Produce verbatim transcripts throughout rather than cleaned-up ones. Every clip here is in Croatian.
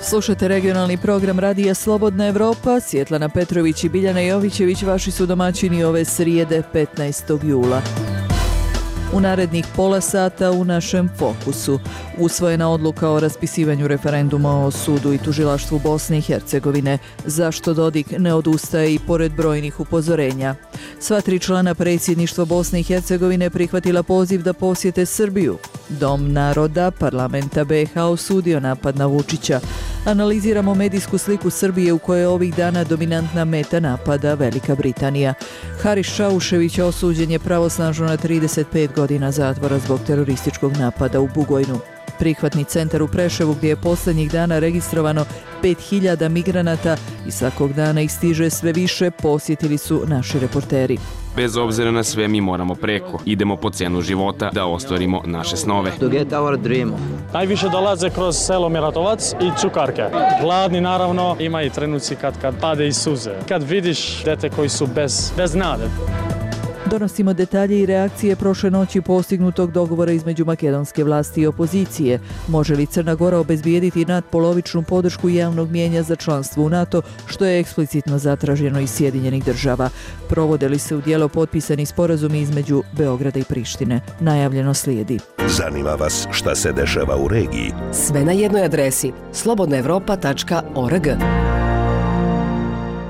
Slušate regionalni program Radija Slobodna Evropa. Svjetlana Petrović i Biljana Jovićević vaši su domaćini ove srijede petnaestog jula. U narednih pola sata u našem fokusu usvojena odluka o raspisivanju referenduma o sudu i tužilaštvu Bosne i Hercegovine. Zašto Dodik ne odustaje i pored brojnih upozorenja? Sva tri člana predsjedništva Bosne i Hercegovine prihvatila poziv da posjete Srbiju. Dom naroda parlamenta B iH osudio napad na Vučića. Analiziramo medijsku sliku Srbije u kojoj je ovih dana dominantna meta napada Velika Britanija. Haris Šaušević osuđen je pravosnažno na trideset pet godina zatvora zbog terorističkog napada u Bugojnu. Prihvatni centar u Preševu gdje je posljednjih dana registrovano pet hiljada migranata i svakog dana ih stiže sve više, posjetili su naši reporteri. Bez obzira na sve mi moramo preko. Idemo po cenu života da ostvarimo naše snove. To get our dream. Najviše dolaze kroz selo Miratovac i Cukarke. Gladni naravno, ima i trenuci kad, kad pade i suze. Kad vidiš dete koji su bez, bez nade. Donosimo detalje i reakcije prošle noći postignutog dogovora između makedonske vlasti i opozicije. Može li Crna Gora obezbijediti nadpolovičnu podršku javnog mijenja za članstvo u NATO, što je eksplicitno zatraženo iz Sjedinjenih država? Provode li se u djelo potpisani sporazumi između Beograda i Prištine? Najavljeno slijedi. Zanima vas šta se dešava u regiji? Sve na jednoj adresi slobodna evropa tačka org.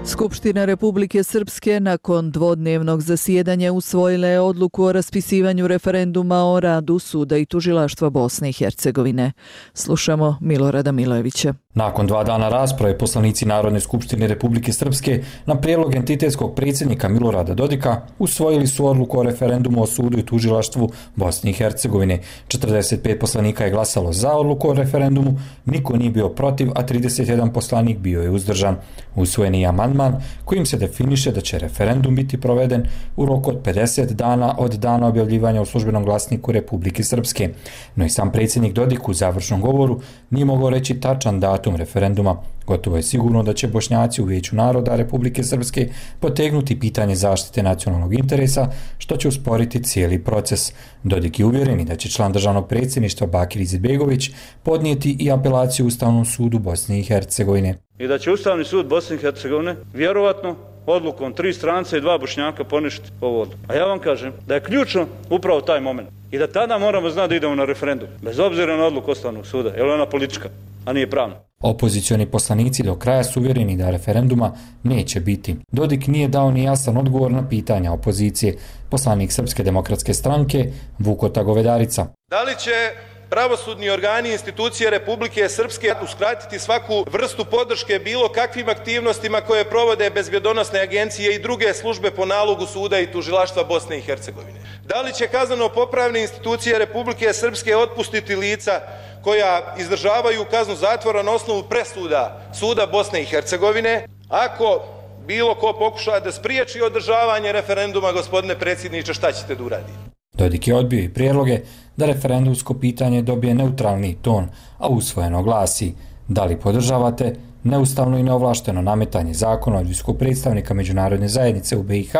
Skupština Republike Srpske nakon dvodnevnog zasjedanja usvojila je odluku o raspisivanju referenduma o radu suda i tužilaštva Bosne i Hercegovine. Slušamo Milorada Milojevića. Nakon dva dana rasprave, poslanici Narodne skupštine Republike Srpske na prijedlog entitetskog predsjednika Milorada Dodika usvojili su odluku o referendumu o sudu i tužilaštvu Bosne i Hercegovine. četrdeset pet poslanika je glasalo za odluku o referendumu, niko nije bio protiv, a trideset jedan poslanik bio je uzdržan. Usvojen je amandman kojim se definiše da će referendum biti proveden u roku od pedeset dana od dana objavljivanja u službenom glasniku Republike Srpske. No i sam predsjednik Dodik u završnom govoru nije mogao reći tačan datum referenduma. Gotovo je sigurno da će Bošnjaci u Vijeću naroda Republike Srpske potegnuti pitanje zaštite nacionalnog interesa, što će usporiti cijeli proces. Dodik je uvjereni da će član državnog predsjedništva Bakir Izetbegović podnijeti i apelaciju Ustavnom sudu Bosne i Hercegovine. I da će Ustavni sud Bosne i Hercegovine vjerovatno odlukom tri stranca i dva Bošnjaka poništiti ovu odluku. A ja vam kažem da je ključno upravo taj moment. I da tada moramo znati da idemo na referendum. Bez obzira na odluku Ustavnog suda. Jer ona politička, a nije pravna. Opozicioni poslanici do kraja su uvjereni da referenduma neće biti. Dodik nije dao ni jasan odgovor na pitanja opozicije. Poslanik Srpske demokratske stranke Vukota Govedarica. Da li će pravosudni organi i institucije Republike Srpske uskratiti svaku vrstu podrške bilo kakvim aktivnostima koje provode bezbjedonosne agencije i druge službe po nalogu suda i tužilaštva Bosne i Hercegovine? Da li će kazneno-popravne institucije Republike Srpske otpustiti lica koja izdržavaju kaznu zatvora na osnovu presuda suda Bosne i Hercegovine ako bilo ko pokuša da spriječi održavanje referenduma, gospodine predsjedniče, šta ćete da uraditi? Dodik je odbio i prijedloge da referendumsko pitanje dobije neutralni ton, a usvojeno glasi: da li podržavate neustavno i neovlašteno nametanje zakona od visokog predstavnika međunarodne zajednice u B iH,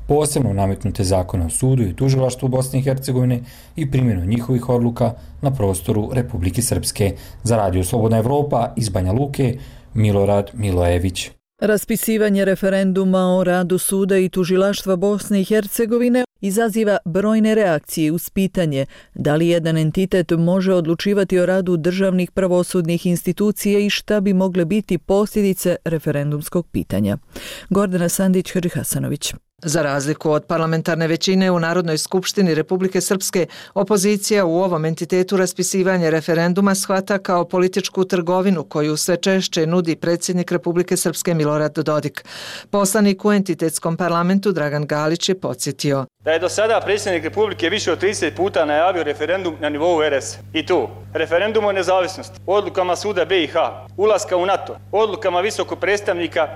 posebno nametnute zakone o sudu i tužilaštvu Bosne i Hercegovine i primjenu njihovih odluka na prostoru Republike Srpske. Za Radio Slobodna Evropa iz Banja Luke, Milorad Milojević. Raspisivanje referenduma o radu suda i tužilaštva Bosne i Hercegovine izaziva brojne reakcije uz pitanje da li jedan entitet može odlučivati o radu državnih pravosudnih institucija i šta bi mogle biti posljedice referendumskog pitanja. Gordana Sandić-Hrihasanović. Za razliku od parlamentarne većine u Narodnoj skupštini Republike Srpske, opozicija u ovom entitetu raspisivanje referenduma shvata kao političku trgovinu koju sve češće nudi predsjednik Republike Srpske Milorad Dodik. Poslanik u entitetskom parlamentu Dragan Galić je podsjetio da je do sada predsjednik Republike više od trideset puta najavio referendum na nivou R S. I tu, referendum o nezavisnosti, odlukama suda B iH, ulaska u NATO, odlukama visokog predstavnika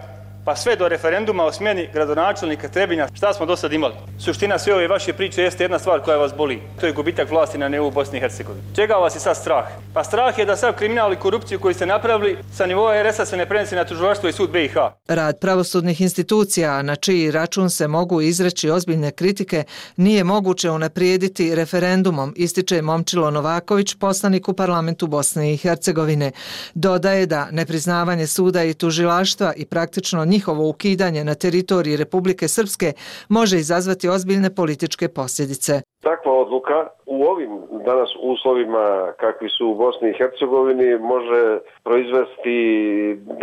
pa sve do referenduma o smjeni gradonačelnika Trebinja, šta smo do sad imali? Suština sve ove vaše priče jeste jedna stvar koja vas boli. To je gubitak vlasti na nivou Bosne i Hercegovine. Čega vas je sad strah? Pa strah je da sav kriminal i korupciju koju ste napravili sa nivoa er es a se ne prenese na tužilaštvo i sud be i ha. Rad pravosudnih institucija, na čiji račun se mogu izreći ozbiljne kritike, nije moguće unaprijediti referendumom, ističe Momčilo Novaković, poslanik u parlamentu Bosne i Hercegovine. Dodaje da nepriznavanje suda i tužilaštva i praktično njihovo ukidanje na teritoriji Republike Srpske može izazvati ozbiljne političke posljedice. Takva odluka u ovim danas uslovima kakvi su u Bosni i Hercegovini može proizvesti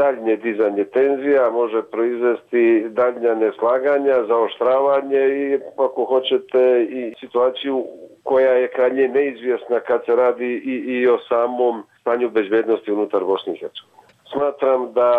daljnje dizanje tenzija, može proizvesti daljnja neslaganja, zaoštravanje i ako hoćete i situaciju koja je krajnje neizvjesna kad se radi i, i o samom stanju bezbednosti unutar Bosne i Hercegovine. Smatram da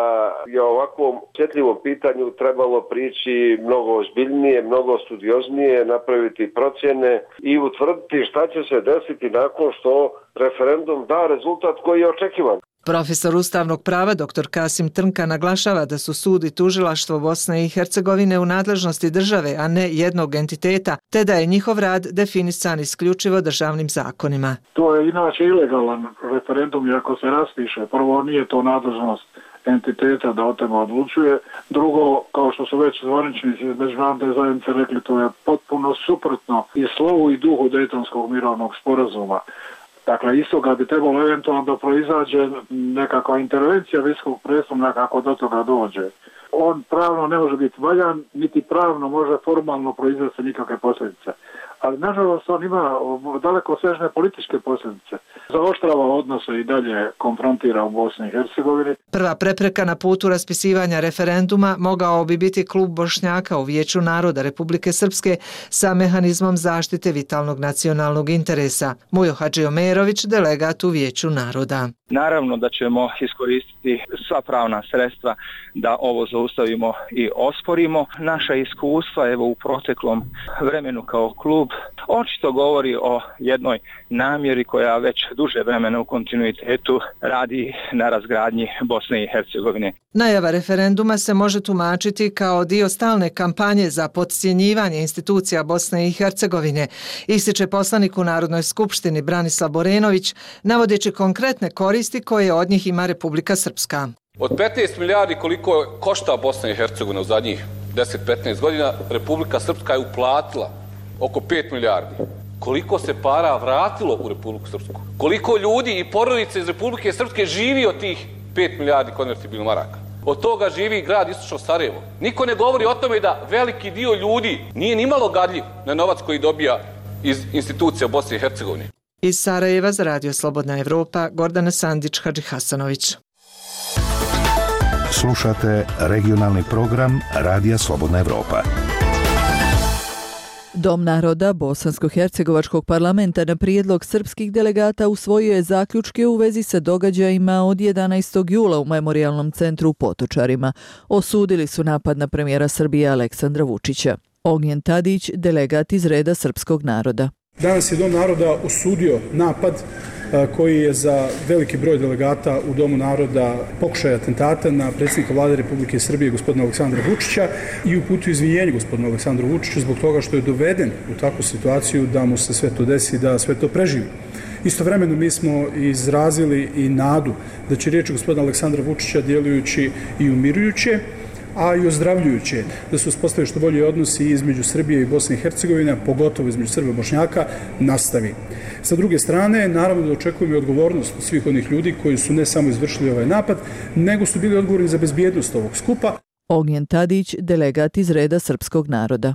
je o ovakvom osjetljivom pitanju trebalo prići mnogo ozbiljnije, mnogo studioznije, napraviti procjene i utvrditi šta će se desiti nakon što referendum da rezultat koji je očekivan. Profesor ustavnog prava dr Kasim Trnka naglašava da su sud i tužilaštvo Bosne i Hercegovine u nadležnosti države, a ne jednog entiteta, te da je njihov rad definisan isključivo državnim zakonima. To je inače ilegalan referendum, iako se raspiše. Prvo, nije to nadležnost entiteta da o tome odlučuje. Drugo, kao što su već zvaničnici iz međunarodne zajednice rekli, to je potpuno suprotno i slovu i duhu Dejtonskog mirovnog sporazuma. Dakle, iz toga bi trebalo eventualno da proizađe nekakva intervencija visokog predstavnika kako do toga dođe. On pravno ne može biti valjan, niti pravno može formalno proizvesti nikakve posljedice. Ali, nažalost, on ima daleko sežne političke posljedice. Zaoštrava odnose i dalje konfrontira u Bosni i Hercegovini. Prva prepreka na putu raspisivanja referenduma mogao bi biti klub Bošnjaka u Vijeću naroda Republike Srpske sa mehanizmom zaštite vitalnog nacionalnog interesa. Mujo Hadžiomerović, delegat u Vijeću naroda. Naravno da ćemo iskoristiti sva pravna sredstva da ovo zaustavimo i osporimo. Naša iskustva evo u proteklom vremenu kao klub očito govori o jednoj namjeri koja već duže vremena u kontinuitetu radi na razgradnji Bosne i Hercegovine. Najava referenduma se može tumačiti kao dio stalne kampanje za podcjenjivanje institucija Bosne i Hercegovine, ističe poslanik u Narodnoj skupštini Branislav Borenović, navodeći konkretne koristi koje od njih ima Republika Srpska. Od petnaest milijardi koliko košta Bosna i Hercegovina u zadnjih deset do petnaest godina, Republika Srpska je uplatila oko pet milijardi. Koliko se para vratilo u Republiku Srpsku? Koliko ljudi i porodice iz Republike Srpske živi od tih pet milijardi konvertibilnih maraka? Od toga živi grad Istočno Sarajevo. Niko ne govori o tome da veliki dio ljudi nije nimalo gadljiv na novac koji dobija iz institucija Bosne i Hercegovine. Iz Sarajeva za Radio Slobodna Evropa, Gordana Sandić, Hadži Hasanović. Slušate regionalni program Radija Slobodna Evropa. Dom naroda Bosansko-hercegovačkog parlamenta na prijedlog srpskih delegata usvojio je zaključke u vezi sa događajima od jedanaestog jula u Memorijalnom centru u Potočarima. Osudili su napad na premijera Srbije Aleksandra Vučića. Ognjen Tadić, delegat iz reda srpskog naroda. Danas je Dom naroda osudio napad koji je za veliki broj delegata u Domu naroda pokušaj atentata na predsjednika vlade Republike Srbije gospodina Aleksandra Vučića i uputio izvinjenje gospodinu Aleksandru Vučiću zbog toga što je doveden u takvu situaciju da mu se sve to desi, da sve to preživi. Istovremeno mi smo izrazili i nadu da će riječi gospodina Aleksandra Vučića djelujući i umirujuće, a i ozdravljujuće, da se uspostavi što bolje odnosi između Srbije i Bosne i Hercegovine, pogotovo između Srba i Bošnjaka, nastavi. Sa druge strane, naravno da očekujemo i odgovornost svih onih ljudi koji su ne samo izvršili ovaj napad, nego su bili odgovorni za bezbjednost ovog skupa. Ognjen Tadić, delegat iz reda srpskog naroda.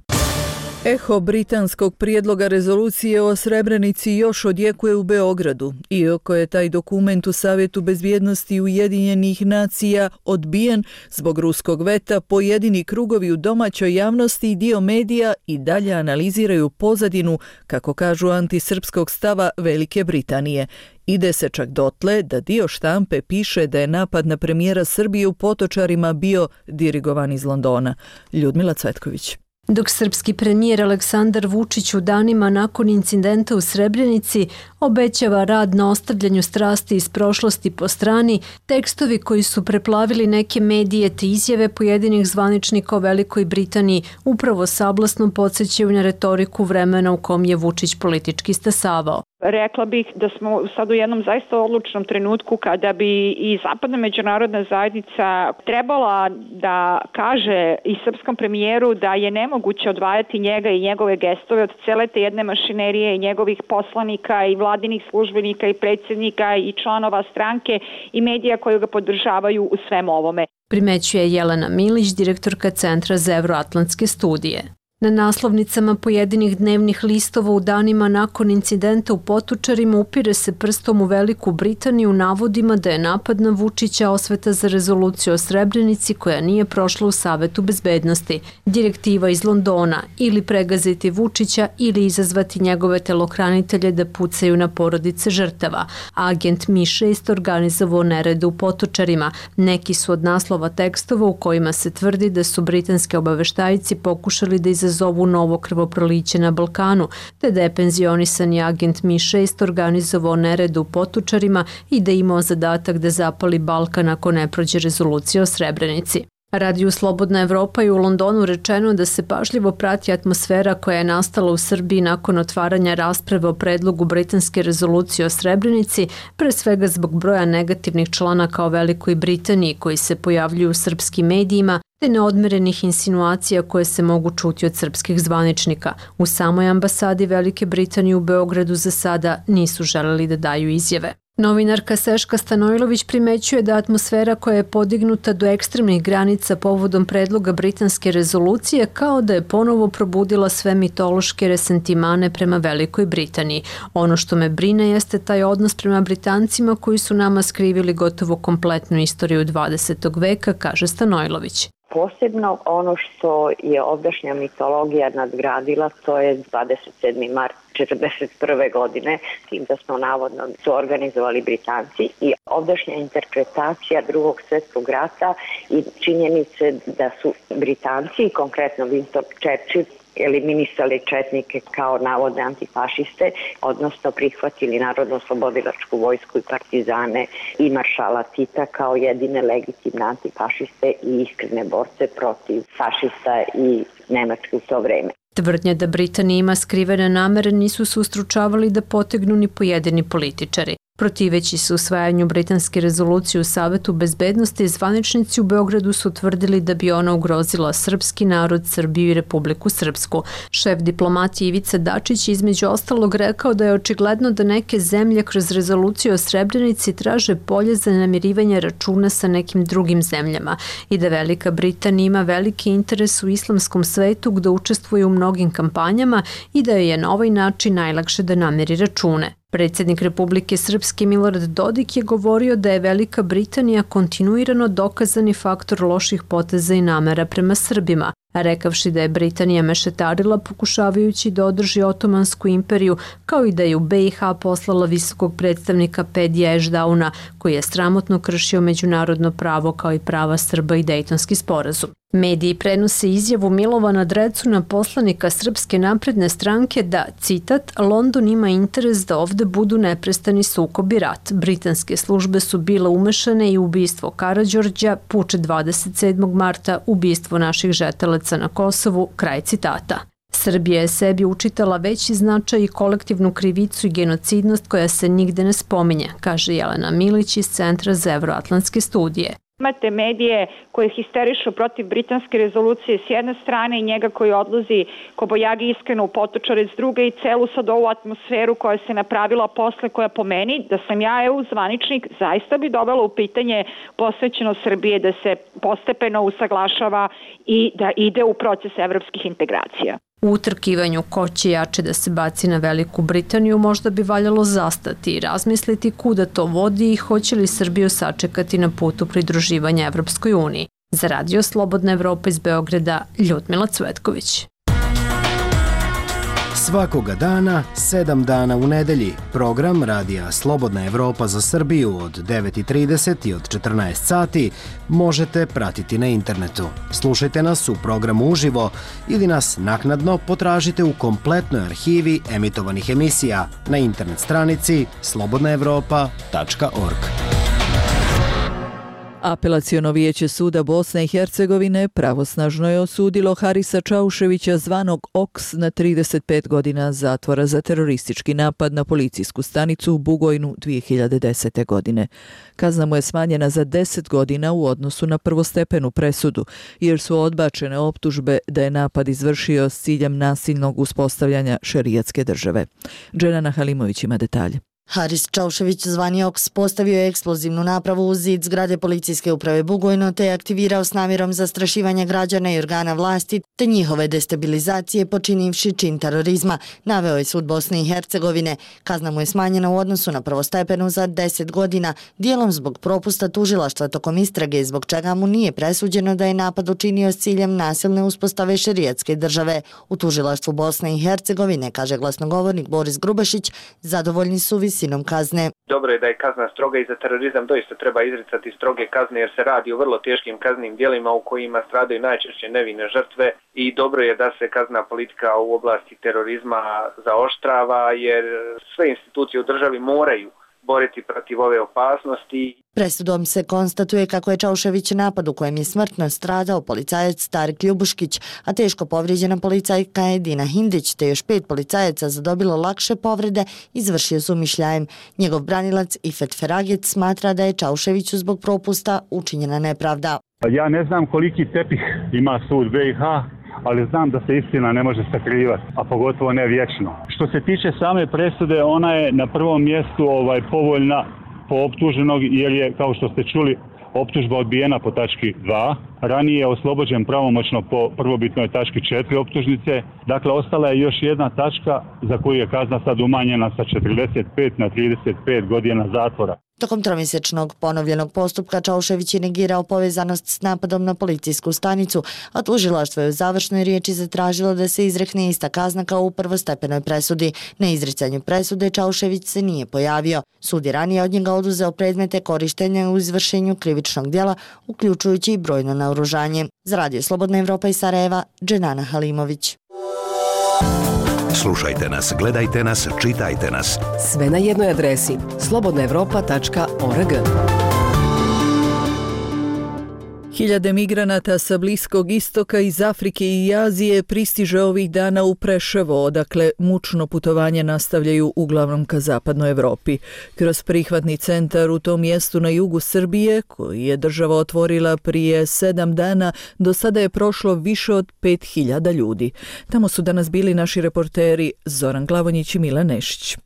Eho britanskog prijedloga rezolucije o Srebrenici još odjekuje u Beogradu, iako je taj dokument u Savjetu bezbjednosti Ujedinjenih nacija odbijen zbog ruskog veta. Pojedini krugovi u domaćoj javnosti i dio medija i dalje analiziraju pozadinu, kako kažu, antisrpskog stava Velike Britanije. Ide se čak dotle da dio štampe piše da je napad na premijera Srbije u Potočarima bio dirigovan iz Londona. Ljudmila Cvetković. Dok srpski premijer Aleksandar Vučić u danima nakon incidenta u Srebrenici obećava rad na ostavljanju strasti iz prošlosti po strani, tekstovi koji su preplavili neke medije te izjave pojedinih zvaničnika o Velikoj Britaniji upravo sablasno podsjećaju na retoriku vremena u kom je Vučić politički stasavao. Rekla bih da smo sad u jednom zaista odlučnom trenutku kada bi i zapadna međunarodna zajednica trebala da kaže i srpskom premijeru da je nemoguće odvajati njega i njegove gestove od cele te jedne mašinerije i njegovih poslanika i vladinih službenika i predsjednika i članova stranke i medija koji ga podržavaju u svem ovome. Primećuje Jelena Milić, direktorka Centra za evroatlantske studije. Na naslovnicama pojedinih dnevnih listova u danima nakon incidenta u Potočarima upire se prstom u Veliku Britaniju navodima da je napad na Vučića osveta za rezoluciju o Srebrenici koja nije prošla u Savetu bezbednosti. Direktiva iz Londona ili pregaziti Vučića ili izazvati njegove telohranitelje da pucaju na porodice žrtava. Agent M I šest organizovao nerede u Potočarima. Neki su od naslova tekstova u kojima se tvrdi da su britanski obaveštajci pokušali da izazovu zovu novo krvoproliće na Balkanu, te da je penzionisani agent M I šest organizovao nered u Potočarima i da je imao zadatak da zapali Balkan ako ne prođe rezolucija o Srebrenici. Radiju Slobodna Evropa i u Londonu rečeno da se pažljivo prati atmosfera koja je nastala u Srbiji nakon otvaranja rasprave o predlogu britanske rezolucije o Srebrenici, pre svega zbog broja negativnih članaka o Velikoj Britaniji koji se pojavljuju u srpskim medijima, te neodmerenih insinuacija koje se mogu čuti od srpskih zvaničnika. U samoj ambasadi Velike Britanije u Beogradu za sada nisu želeli da daju izjave. Novinarka Seška Stanojlović primećuje da atmosfera koja je podignuta do ekstremnih granica povodom predloga britanske rezolucije kao da je ponovo probudila sve mitološke resentimane prema Velikoj Britaniji. Ono što me brine jeste taj odnos prema Britancima koji su nama skrivili gotovo kompletnu istoriju dvadesetog veka, kaže Stanojlović. Posebno ono što je ovdašnja mitologija nadgradila, to je dvadeset sedmi mart četrdeset prve godine, tim da smo navodno su organizovali Britanci, i ovdašnja interpretacija drugog svjetskog rata i činjenice da su Britanci, konkretno Winston Churchill, eliminisali četnike kao navodne antifašiste, odnosno prihvatili Narodno-oslobodilačku vojsku i partizane i maršala Tita kao jedine legitimne antifašiste i iskrene borce protiv fašista i Nemačke u to vreme. Tvrdnje da Britanija ima skrivene namere nisu se ustručavali da potegnu ni pojedini političari. Protiveći se usvajanju britanske rezolucije u Savetu bezbednosti, zvaničnici u Beogradu su tvrdili da bi ona ugrozila srpski narod, Srbiju i Republiku Srpsku. Šef diplomatije Ivica Dačić između ostalog rekao da je očigledno da neke zemlje kroz rezoluciju o Srebrenici traže polje za namirivanje računa sa nekim drugim zemljama i da Velika Britanija ima veliki interes u islamskom svetu gde učestvuje u mnogim kampanjama i da joj je na ovaj način najlakše da namiri račune. Predsjednik Republike Srpske Milorad Dodik je govorio da je Velika Britanija kontinuirano dokazani faktor loših poteza i namera prema Srbima, rekavši da je Britanija mešetarila pokušavajući da održi Otomansku imperiju, kao i da je u B i H poslala visokog predstavnika Pedija Ešdauna, koji je sramotno kršio međunarodno pravo kao i prava Srba i Dejtonski sporazum. Mediji prenose izjavu Milovana Drecuna, poslanika Srpske napredne stranke, da, citat, London ima interes da ovde budu neprestani sukob i rat. Britanske službe su bile umešane i ubistvo Karađorđa, puč dvadeset sedmog marta, ubistvo naših žetelaca na Kosovu, kraj citata. Srbija je sebi učitala veći značaj i kolektivnu krivicu i genocidnost koja se nigde ne spominje, kaže Jelena Milić iz Centra za evroatlantske studije. Imate medije koje histerišu protiv britanske rezolucije s jedne strane i njega koji odlazi kobojagi iskreno u Potočare s druge i celu sad ovu atmosferu koja se napravila posle, koja po meni, da sam ja E U zvaničnik, zaista bi dovela u pitanje posvećeno Srbije da se postepeno usaglašava i da ide u proces evropskih integracija. U utrkivanju ko će jače da se baci na Veliku Britaniju možda bi valjalo zastati i razmisliti kuda to vodi i hoće li Srbiju sačekati na putu pridruživanja Evropskoj uniji. Za Radio Slobodna Evropa iz Beograda, Ljudmila Cvetković. Svakoga dana, sedam dana u nedelji, program Radija Slobodna Evropa za Srbiju od devet i trideset i od četrnaest sati možete pratiti na internetu. Slušajte nas u programu uživo ili nas naknadno potražite u kompletnoj arhivi emitovanih emisija na internet stranici slobodna evropa tačka org. Apelaciono vijeće suda Bosne i Hercegovine pravosnažno je osudilo Harisa Čauševića zvanog Oks na trideset pet godina zatvora za teroristički napad na policijsku stanicu u Bugojnu dvije hiljade desete. godine. Kazna mu je smanjena za deset godina u odnosu na prvostepenu presudu, jer su odbačene optužbe da je napad izvršio s ciljem nasilnog uspostavljanja šerijatske države. Dženana Halimović ima detalje. Haris Čaušević, zvani Oks, postavio je eksplozivnu napravu u zid zgrade policijske uprave Bugojno te je aktivirao s namjerom zastrašivanja građana i organa vlasti te njihove destabilizacije počinivši čin terorizma, naveo je sud Bosne i Hercegovine. Kazna mu je smanjena u odnosu na prvostepenu za deset godina, dijelom zbog propusta tužilaštva tokom istrage, zbog čega mu nije presuđeno da je napad učinio s ciljem nasilne uspostave šerijatske države. U tužilaštvu Bosne i Hercegovine, kaže glasnogovornik Boris Grubašić, zadovoljni su visinom kazne. Dobro je da je kazna stroga i za terorizam doista treba izricati stroge kazne jer se radi o vrlo teškim kaznim djelima u kojima stradaju najčešće nevine žrtve i dobro je da se kazna politika u oblasti terorizma zaoštrava jer sve institucije u državi moraju boriti protiv ove opasnosti. Presudom se konstatuje kako je Čaušević napad u kojem je smrtno stradao policajac Starik Ljubuškić, a teško povrijeđena policajka Edina Hindić te još pet policajaca zadobilo lakše povrede izvršio s umišljajem. Njegov branilac Ifet Feragec smatra da je Čauševiću zbog propusta učinjena nepravda. Ja ne znam koliki tepih ima sud B i H, ali znam da se istina ne može sakrivati, a pogotovo ne vječno. Što se tiče same presude, ona je na prvom mjestu ovaj povoljna po optuženog jer je, kao što ste čuli, optužba odbijena po tački dva. Ranije je oslobođen pravomoćno po prvobitnoj tački četiri optužnice. Dakle, ostala je još jedna tačka za koju je kazna sad umanjena sa četrdeset pet na trideset pet godina zatvora. Tokom tromjesečnog ponovljenog postupka Čaušević je negirao povezanost s napadom na policijsku stanicu, a tužilaštvo je u završnoj riječi zatražilo da se izrekne ista kazna kao u prvostepenoj presudi. Na izricanju presude Čaušević se nije pojavio. Sud je ranije od njega oduzeo predmete korištenja u izvršenju krivičnog djela, uključujući i brojno naoružanje. Za Radio Slobodna Evropa iz Sarajeva, Dženana Halimović. Slušajte nas, gledajte nas, čitajte nas. Sve na jednoj adresi slobodna evropa tačka org. Hiljade migranata sa Bliskog istoka, iz Afrike i Azije pristiže ovih dana u Preševo, odakle mučno putovanje nastavljaju uglavnom ka zapadnoj Evropi. Kroz prihvatni centar u tom mjestu na jugu Srbije, koji je država otvorila prije sedam dana, do sada je prošlo više od pet hiljada ljudi. Tamo su danas bili naši reporteri Zoran Glavonjić i Milan Nešić.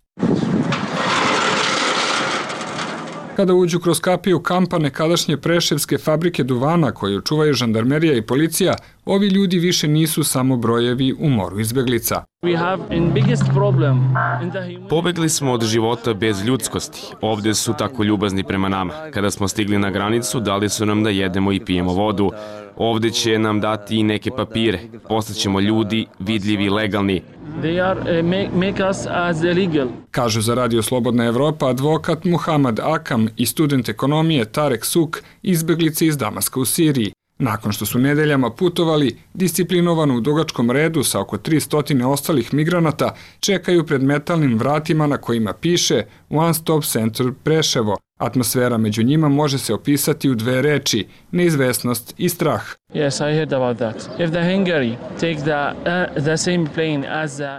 Kada uđu kroz kapiju kampa nekadašnje preševske fabrike duvana koju čuvaju žandarmerija i policija, ovi ljudi više nisu samo brojevi u moru izbeglica. Pobegli smo od života bez ljudskosti. Ovdje su tako ljubazni prema nama. Kada smo stigli na granicu, dali su nam da jedemo i pijemo vodu. Ovdje će nam dati i neke papire. Postaćemo ljudi, vidljivi, legalni. Kažu za Radio Slobodna Evropa advokat Muhamad Akam i student ekonomije Tarek Suk, izbeglice iz Damaska u Siriji. Nakon što su nedeljama putovali, disciplinovano u dugačkom redu sa oko tristo ostalih migranata, čekaju pred metalnim vratima na kojima piše One Stop Center Preševo. Atmosfera među njima može se opisati u dve reči, neizvesnost i strah.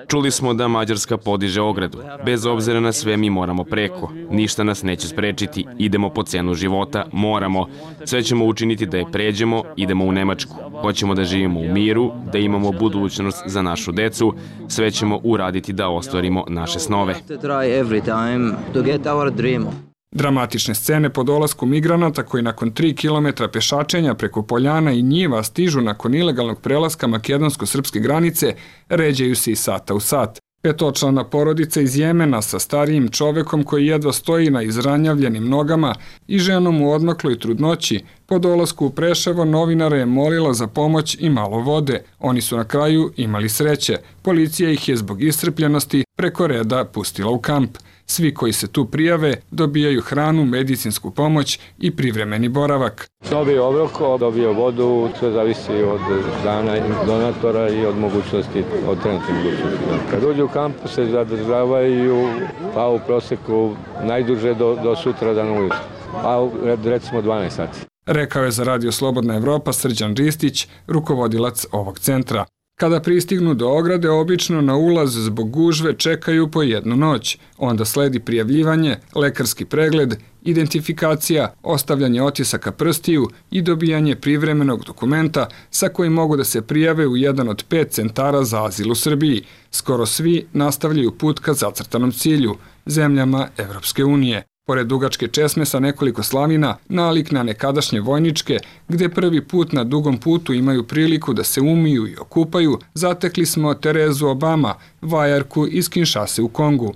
Čuli smo da Mađarska podiže ogradu. Bez obzira na sve mi moramo preko. Ništa nas neće sprečiti. Idemo po cenu života, moramo. Sve ćemo učiniti da je pređemo, idemo u Nemačku. Hoćemo da živimo u miru, da imamo budućnost za našu decu. Sve ćemo uraditi da ostvarimo naše snove. Dramatične scene po dolasku migranata koji nakon tri kilometra pešačenja preko poljana i njiva stižu nakon ilegalnog prelaska makedonsko-srpske granice ređaju se i sata u sat. Petočlana porodica iz Jemena sa starijim čovekom koji jedva stoji na izranjavljenim nogama i ženom u odmakloj trudnoći po dolasku u Preševo novinara je molila za pomoć i malo vode. Oni su na kraju imali sreće. Policija ih je zbog iscrpljenosti preko reda pustila u kamp. Svi koji se tu prijave dobijaju hranu, medicinsku pomoć i privremeni boravak. Dobio obrok, dobio vodu, sve zavisi od dana donatora i od mogućnosti, od trenutnih mogućnosti. Kad uđu u kamp se zadržavaju pa u proseku najduže do, do sutra dan ujutro, a recimo dvanaest sati. Rekao je za Radio Slobodna Evropa Srđan Ristić, rukovodilac ovog centra. Kada pristignu do ograde, obično na ulaz zbog gužve čekaju po jednu noć. Onda sledi prijavljivanje, lekarski pregled, identifikacija, ostavljanje otisaka prstiju i dobijanje privremenog dokumenta sa kojim mogu da se prijave u jedan od pet centara za azil u Srbiji. Skoro svi nastavljaju put ka zacrtanom cilju, zemljama Evropske unije. Pored dugačke česme sa nekoliko slavina, nalik na nekadašnje vojničke, gde prvi put na dugom putu imaju priliku da se umiju i okupaju, zatekli smo Terezu Obama, vajarku iz Kinshase u Kongu.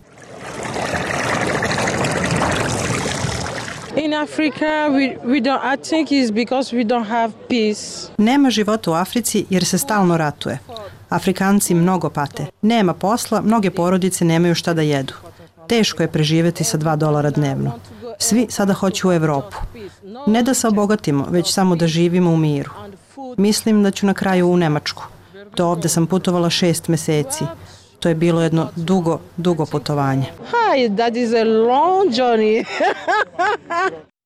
In Africa, we, we don't, I think it's because we don't have peace. Nema života u Africi jer se stalno ratuje. Afrikanci mnogo pate. Nema posla, mnoge porodice nemaju šta da jedu. Teško je preživjeti sa dva dolara dnevno. Svi sada hoću u Evropu. Ne da se obogatimo, već samo da živimo u miru. Mislim da ću na kraju u Nemačku. Do ovde sam putovala šest meseci. To je bilo jedno dugo, dugo putovanje. Hi, that is a long journey.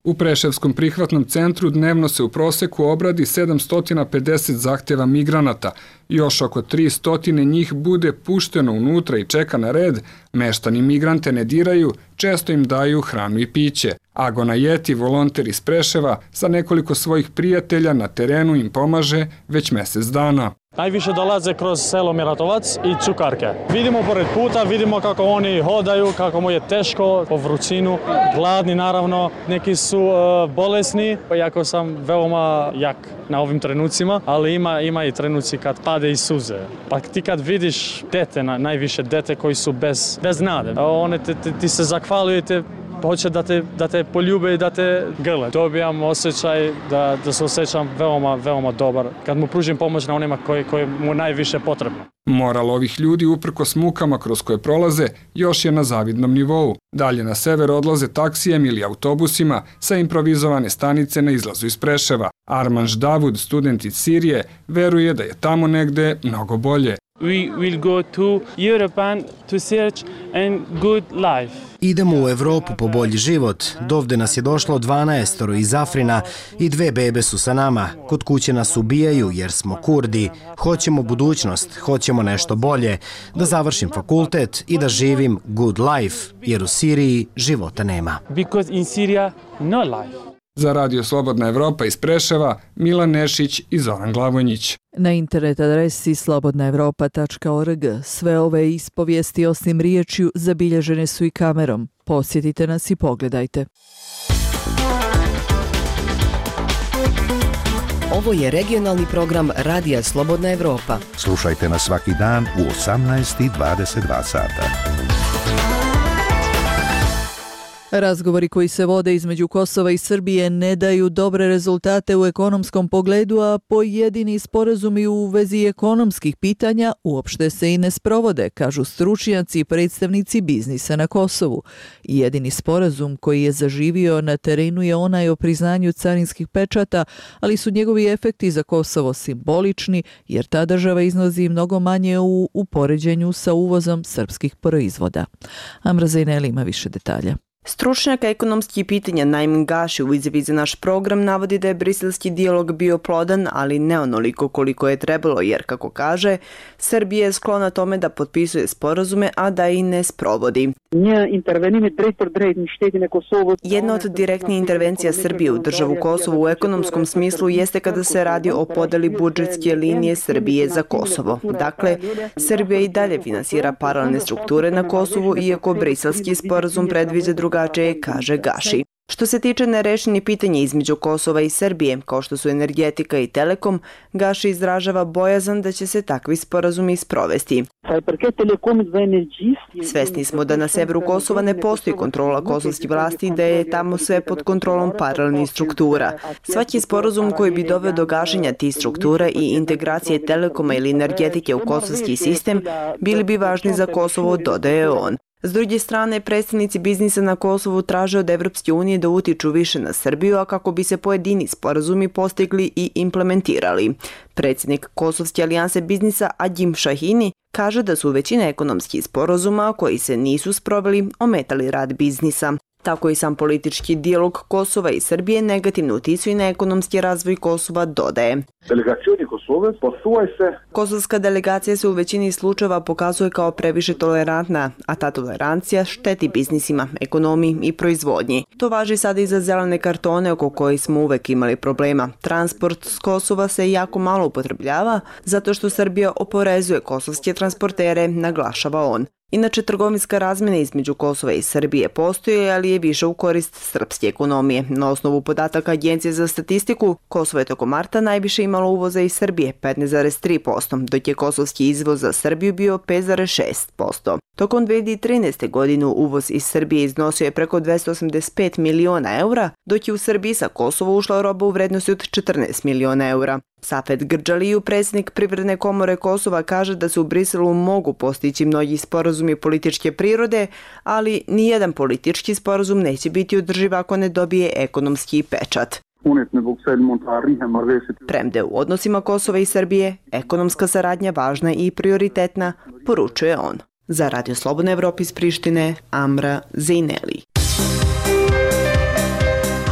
U Preševskom prihvatnom centru dnevno se u proseku obradi sedamsto pedeset zahtjeva migranata. Još oko tristo njih bude pušteno unutra i čeka na red. Meštani migrante ne diraju, često im daju hranu i piće. Agona Jeti, volonter iz Preševa, sa nekoliko svojih prijatelja na terenu im pomaže već mjesec dana. Najviše dolaze kroz selo Miratovac i Cukarke. Vidimo pored puta, vidimo kako oni hodaju, kako mu je teško po vrućinu, gladni naravno, neki su uh, bolesni, iako sam veoma jak na ovim trenucima, ali ima, ima i trenuci kad pade i suze. Pa ti kad vidiš dete, najviše dete koji su bez, bez nade, one te, te, ti se zahvaljujete, hoće da te, da te poljube i da te grle. Dobijam osjećaj da, da se osjećam veoma, veoma dobar kad mu pružim pomoć na onima koji, koji mu najviše potrebno. Moral ovih ljudi uprkos mukama kroz koje prolaze još je na zavidnom nivou. Dalje na sever odlaze taksijem ili autobusima sa improvizovane stanice na izlazu iz Preševa. Armanš Davud, student iz Sirije, veruje da je tamo negde mnogo bolje. We will go to Europe to search a good life. Idemo u Evropu po bolji život. Dovde nas je došlo dvanaestoro iz Afrina i dve bebe su sa nama. Kod kuće nas ubijaju jer smo Kurdi. Hoćemo budućnost, hoćemo nešto bolje. Da završim fakultet i da živim good life, jer u Siriji života nema. Because in Syria no life. Za Radio Slobodna Evropa iz Preševa, Milan Nešić i Zoran Glavonjić. Na internet adresi slobodna evropa tačka org sve ove ispovijesti osim riječju zabilježene su i kamerom. Posjetite nas i pogledajte. Ovo je regionalni program Radija Slobodna Evropa. Slušajte nas svaki dan u osamnaest i dvadeset dva sata. Razgovori koji se vode između Kosova i Srbije ne daju dobre rezultate u ekonomskom pogledu, a pojedini sporazumi u vezi ekonomskih pitanja uopšte se i ne sprovode, kažu stručnjaci i predstavnici biznisa na Kosovu. Jedini sporazum koji je zaživio na terenu je onaj o priznanju carinskih pečata, ali su njegovi efekti za Kosovo simbolični, jer ta država iznosi mnogo manje u upoređenju sa uvozom srpskih proizvoda. Amra Zajneli ima više detalja. Stručnjak ekonomskih pitanja Najmin Gaši u izjavi za naš program navodi da je briselski dijalog bio plodan, ali ne onoliko koliko je trebalo, jer, kako kaže, Srbija je sklona tome da potpisuje sporazume, a da i ne sprovodi. Jedna od direktnih intervencija Srbije u državu Kosovo u ekonomskom smislu jeste kada se radi o podeli budžetske linije Srbije za Kosovo. Dakle, Srbija i dalje finansira paralelne strukture na Kosovu, iako briselski sporazum predviđa drugačije, kaže Gaši. Što se tiče nerešenih pitanja između Kosova i Srbije, kao što su energetika i telekom, Gaši izražava bojazan da će se takvi sporazumi sprovesti. Svesni smo da na severu Kosova ne postoji kontrola kosovskih vlasti i da je tamo sve pod kontrolom paralelnih struktura. Svaki sporazum koji bi doveo do gašenja tih struktura i integracije telekoma ili energetike u kosovski sistem bili bi važni za Kosovo, dodaje on. S druge strane, predstavnici biznisa na Kosovu traže od Evropske unije da utiču više na Srbiju, a kako bi se pojedini sporazumi postigli i implementirali. Predsjednik Kosovske alijanse biznisa Adjim Šahini kaže da su većina ekonomskih sporazuma koji se nisu sproveli ometali rad biznisa. Tako i sam politički dijalog Kosova i Srbije negativno uticuje na ekonomski razvoj Kosova, dodaje. Kosovska delegacija se u većini slučajeva pokazuje kao previše tolerantna, a ta tolerancija šteti biznisima, ekonomiji i proizvodnji. To važi sada i za zelene kartone oko kojih smo uvek imali problema. Transport s Kosova se jako malo upotrebljava zato što Srbija oporezuje kosovske transportere, naglašava on. Inače, trgovinska razmjena između Kosova i Srbije postoji, ali je više u korist srpske ekonomije. Na osnovu podataka Agencije za statistiku, Kosovo je tokom marta najviše imalo uvoza iz Srbije, petnaest zarez tri posto, dok je kosovski izvoz za Srbiju bio pet zarez šest posto. Tokom dve hiljade trinaeste. godine uvoz iz Srbije iznosio je preko dvesta osamdeset pet miliona eura, dok je u Srbiji sa Kosova ušla roba u vrednosti od četrnaest miliona eura. Safet Grđaliju, predsjednik Privredne komore Kosova, kaže da se u Briselu mogu postići mnogi sporazumi političke prirode, ali nijedan politički sporazum neće biti održiv ako ne dobije ekonomski pečat. Premda u odnosima Kosova i Srbije, ekonomska saradnja važna i prioritetna, poručuje on. Za Radio Slobodna Evropa iz Prištine, Amra Zejneli.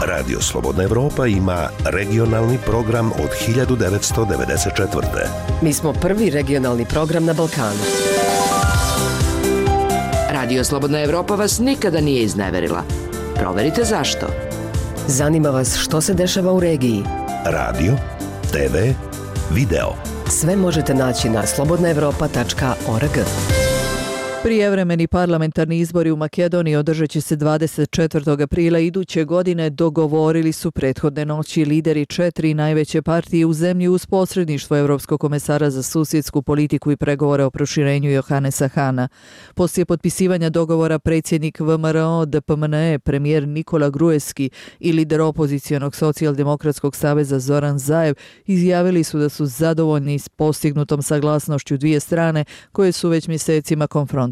Radio Slobodna Evropa ima regionalni program od hiljadu devetsto devedeset četvrte. Mi smo prvi regionalni program na Balkanu. Radio Slobodna Evropa vas nikada nije izneverila. Proverite zašto. Zanima vas što se dešava u regiji. Radio, te ve, video. Sve možete naći na slobodna evropa tačka org. Prijevremeni parlamentarni izbori u Makedoniji održat će se dvadeset četvrtog aprila iduće godine, dogovorili su prethodne noći lideri četiri najveće partije u zemlji uz posredništvo Evropskog komesara za susjedsku politiku i pregovore o proširenju Johanesa Hana. Poslije potpisivanja dogovora predsjednik V M R O D P M N E, premijer Nikola Gruevski i lider opozicionog socijaldemokratskog saveza Zoran Zaev izjavili su da su zadovoljni s postignutom saglasnošću dvije strane koje su već mjesecima konfrontirane.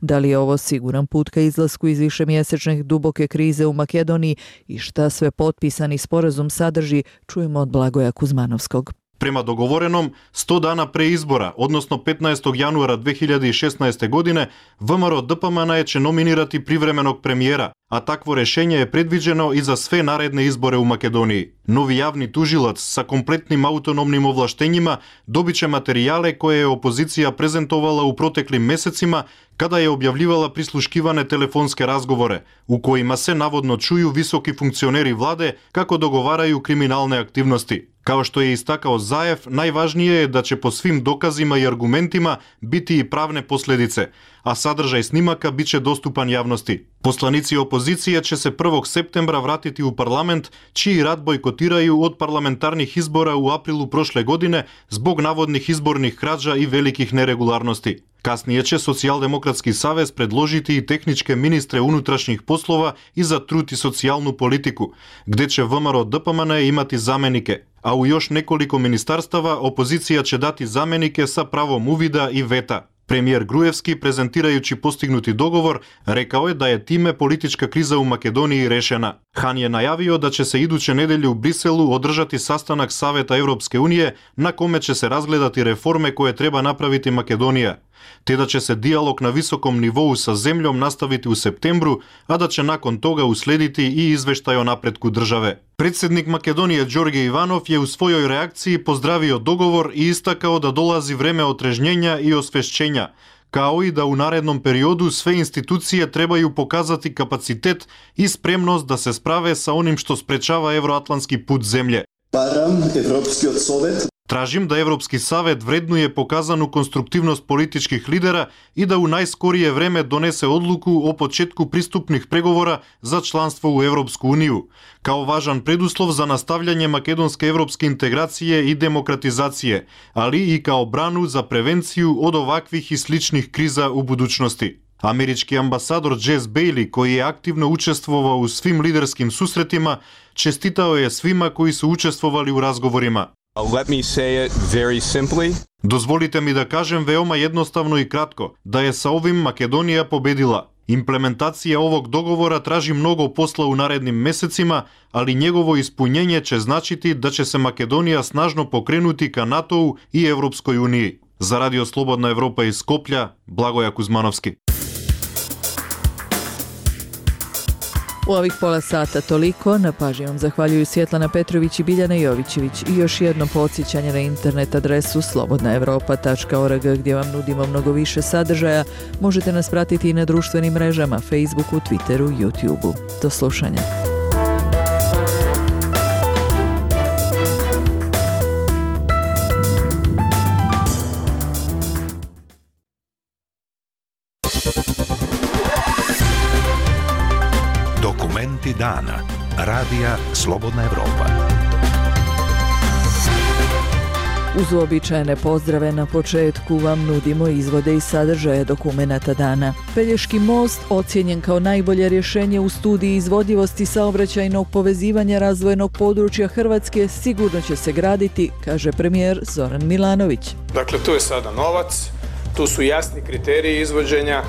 Da li je ovo siguran put ka izlasku iz višemjesečne duboke krize u Makedoniji i šta sve potpisani sporazum sadrži, čujemo od Blagoja Kuzmanovskog. Prema dogovorenom, sto dana pre izbora, odnosno petnaestog januara dve hiljade šesnaeste. godine, V M R O D P M N E će nominirati privremenog premijera, a takvo rešenje je predviđeno i za sve naredne izbore u Makedoniji. Novi javni tužilac sa kompletnim autonomnim ovlaštenjima dobit će materijale koje je opozicija prezentovala u proteklim mesecima kada je objavljivala prisluškivane telefonske razgovore, u kojima se navodno čuju visoki funkcioneri vlade kako dogovaraju kriminalne aktivnosti. Kao što je istakao Zaev, najvažnije je da će po svim dokazima i argumentima biti i pravne posljedice, a sadržaj snimaka bit će dostupan javnosti. Poslanici opozicije će se prvog septembra vratiti u parlament, čiji rad bojkotiraju od parlamentarnih izbora u aprilu prošle godine zbog navodnih izbornih krađa i velikih neregularnosti. Kasnije će Socijaldemokratski savez predložiti i tehničke ministre unutrašnjih poslova i za trud i socijalnu politiku, gde će V M R O D P M N E imati zamenike, a u još nekoliko ministarstava opozicija će dati zamenike sa pravom uvida i veta. Premijer Gruevski, prezentirajući postignuti dogovor, rekao je da je time politička kriza u Makedoniji rešena. Han je najavio da će se iduće nedelje u Briselu održati sastanak Saveta Evropske unije na kome će se razgledati reforme koje treba napraviti Makedonija, te da će se dijalog na visokom nivou sa zemljom nastaviti u septembru, a da će nakon toga uslediti i izveštaj o napretku države. Predsjednik Makedonije Đorđe Ivanov je u svojoj reakciji pozdravio dogovor i istakao da dolazi vreme otrežnjenja i osvešćenja, kao i da u narednom periodu sve institucije trebaju pokazati kapacitet i spremnost da se sprave sa onim što sprečava evroatlantski put zemlje. Tražim da Evropski savjet vrednuje pokazanu konstruktivnost političkih lidera i da u najskorije vreme donese odluku o početku pristupnih pregovora za članstvo u Evropsku uniju, kao važan preduslov za nastavljanje makedonske evropske integracije i demokratizacije, ali i kao branu za prevenciju od ovakvih i sličnih kriza u budućnosti. Američki ambasador Jess Bailey, koji je aktivno učestvovao u svim liderskim susretima, čestitao je svima koji su učestvovali u razgovorima. Let me say it very simply. Dozvolite mi da kažem veoma jednostavno i kratko, da je sa ovim Makedonija pobedila. Implementacija ovog dogovora traži mnogo posla u narednim mesecima, ali njegovo ispunjenje će značiti da će se Makedonija snažno pokrenuti ka NATO-u i Evropskoj uniji. Za Radio Slobodna Evropa iz Skoplja, Blagoja Kuzmanovski. U ovih pola sata toliko, na pažnji vam zahvaljuju Svjetlana Petrović i Biljana Jovićević i još jedno podsjećanje na internet adresu slobodna evropa tačka org gdje vam nudimo mnogo više sadržaja. Možete nas pratiti i na društvenim mrežama, Facebooku, Twitteru, YouTubeu. Do slušanja. Dokumenti dana. Radija Slobodna Evropa. Uz uobičajene pozdrave na početku vam nudimo izvode i sadržaje dokumenata dana. Pelješki most ocijenjen kao najbolje rješenje u studiji izvodljivosti saobraćajnog povezivanja razvojnog područja Hrvatske sigurno će se graditi, kaže premijer Zoran Milanović. Dakle, tu je sada novac, tu su jasni kriteriji izvođenja.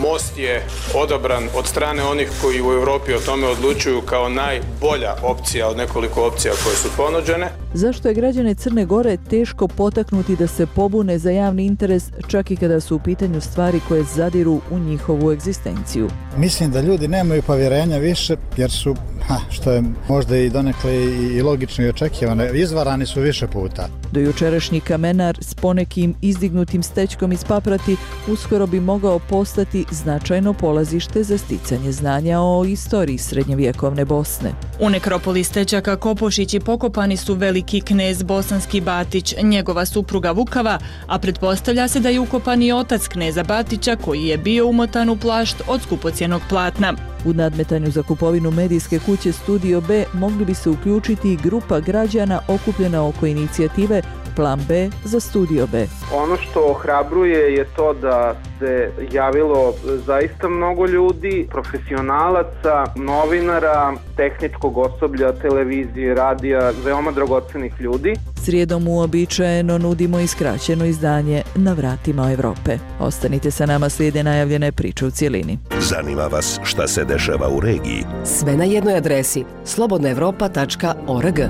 Most je odabran od strane onih koji u Europi o tome odlučuju kao najbolja opcija od nekoliko opcija koje su ponuđene. Zašto je građane Crne Gore teško potaknuti da se pobune za javni interes, čak i kada su u pitanju stvari koje zadiru u njihovu egzistenciju? Mislim da ljudi nemaju povjerenja više jer su, ha, što je možda i donekle i logično i očekivano, izvarani su više puta. Dojučerašnji kamenar s ponekim izdignutim stečkom iz paprati uskoro bi mogao postati značajno polazište za sticanje znanja o istoriji srednjevjekovne Bosne. U nekropoli Stečaka Kopošići pokopani su veliki knez Bosanski Batić, njegova supruga Vukava, a pretpostavlja se da je ukopan i otac kneza Batića koji je bio umotan u plašt od skupocjenog platna. U nadmetanju za kupovinu medijske kuće Studio B mogli bi se uključiti i grupa građana okupljena oko inicijative Plan B za Studio B. Ono što ohrabruje je to da se javilo zaista mnogo ljudi, profesionalaca, novinara, tehničkog osoblja, televizije, radija, veoma dragocenih ljudi. Srijedom uobičajeno nudimo i skraćeno izdanje Na vratima Evrope. Ostanite sa nama, slijede najavljene priče u cjelini. Zanima vas šta se dešava u regiji? Sve na jednoj adresi slobodna evropa tačka org.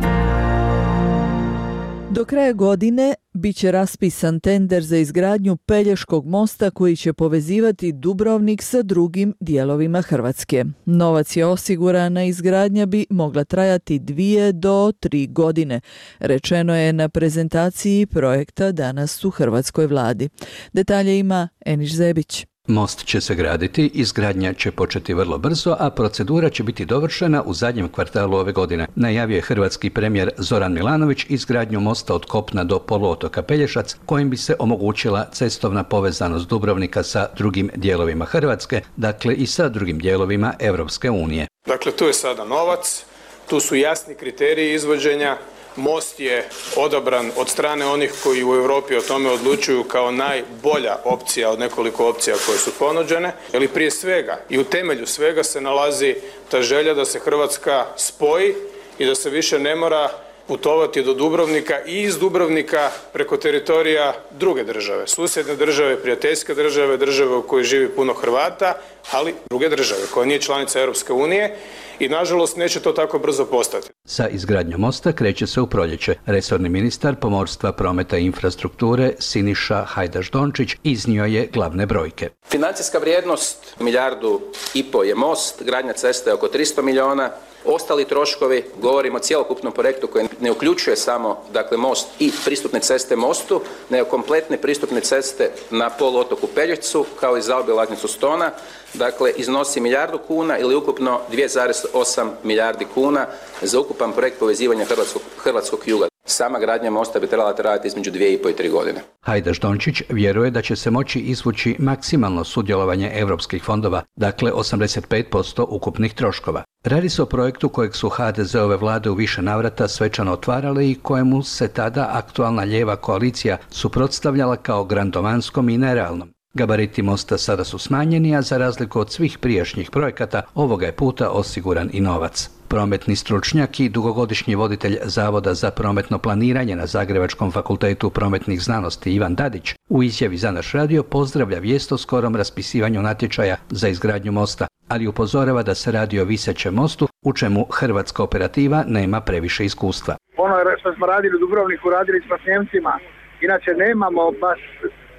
Do kraja godine bit će raspisan tender za izgradnju Pelješkog mosta koji će povezivati Dubrovnik sa drugim dijelovima Hrvatske. Novac je osiguran, a izgradnja bi mogla trajati dvije do tri godine. Rečeno je na prezentaciji projekta danas u hrvatskoj vladi. Detalje ima Eniš Zebić. Most će se graditi, izgradnja će početi vrlo brzo, a procedura će biti dovršena u zadnjem kvartalu ove godine. Najavio je hrvatski premijer Zoran Milanović izgradnju mosta od kopna do poluotoka Pelješac, kojim bi se omogućila cestovna povezanost Dubrovnika sa drugim dijelovima Hrvatske, dakle i sa drugim dijelovima Europske unije. Dakle, tu je sada novac, tu su jasni kriteriji izvođenja. Most je odabran od strane onih koji u Europi o tome odlučuju kao najbolja opcija od nekoliko opcija koje su ponuđene. Jer prije svega i u temelju svega se nalazi ta želja da se Hrvatska spoji i da se više ne mora putovati do Dubrovnika i iz Dubrovnika preko teritorija druge države, susjedne države, prijateljske države, države u kojoj živi puno Hrvata, ali druge države koja nije članica Europske unije i nažalost neće to tako brzo postati. Sa izgradnjom mosta kreće se u proljeće. Resorni ministar pomorstva, prometa i infrastrukture Siniša Hajdaš-Dončić iznio je glavne brojke. Financijska vrijednost milijardu i po je most, gradnja ceste oko tristo milijuna. Ostali troškovi, govorimo o cjelokupnom projektu koji ne uključuje samo dakle, most i pristupne ceste mostu, nego kompletne pristupne ceste na poluotoku Pelješcu kao i zaobilaznicu Stona, dakle iznosi milijardu kuna ili ukupno dvije zarez osam milijardi kuna za ukupan projekt povezivanja hrvatskog, hrvatskog juga. Sama gradnja mosta bi trebala trajati između dvije i pol i tri godine. Hajdaš Dončić vjeruje da će se moći izvući maksimalno sudjelovanje europskih fondova, dakle osamdeset pet posto ukupnih troškova. Radi se o projektu kojeg su ha de zeove vlade u više navrata svečano otvarale i kojemu se tada aktualna lijeva koalicija suprotstavljala kao grandovanskom i nerealnom. Gabariti mosta sada su smanjeni, a za razliku od svih prijašnjih projekata, ovoga je puta osiguran i novac. Prometni stručnjak i dugogodišnji voditelj Zavoda za prometno planiranje na Zagrebačkom fakultetu prometnih znanosti Ivan Dadić u izjavi za naš radio pozdravlja vijest o skorom raspisivanju natječaja za izgradnju mosta, ali upozorava da se radi o visećem mostu u čemu hrvatska operativa nema previše iskustva. Ono što smo radili u Dubrovniku, radili smo s Njemcima, inače nemamo baš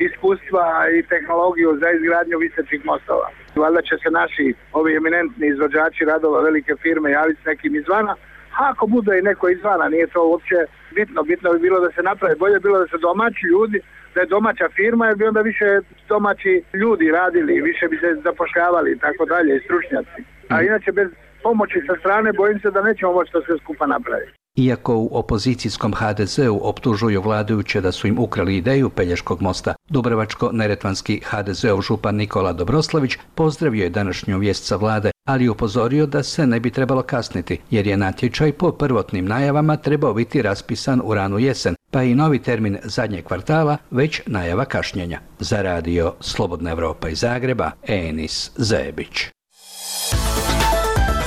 iskustva i tehnologiju za izgradnju visećih mostova. Valjda će se naši ovi eminentni izvođači radova, velike firme javiti s nekim izvana, a ako bude i neko izvana, nije to uopće bitno. Bitno bi bilo da se napravi, bolje bilo da se domaći ljudi, da je domaća firma, jer bi onda više domaći ljudi radili, više bi se zapošljavali i tako dalje, i stručnjaci. A inače bez pomoći sa strane bojim se da nećemo moći to sve skupa napraviti. Iako u opozicijskom ha de zeu optužuju vladajuće da su im ukrali ideju Pelješkog mosta, dubrovačko-neretvanski ha de zeov župan Nikola Dobroslavić pozdravio je današnju vijest sa vlade, ali upozorio da se ne bi trebalo kasniti, jer je natječaj po prvotnim najavama trebao biti raspisan u ranu jesen, pa i novi termin zadnjeg kvartala već najava kašnjenja. Za radio Slobodna Evropa iz Zagreba, Enis Zebić.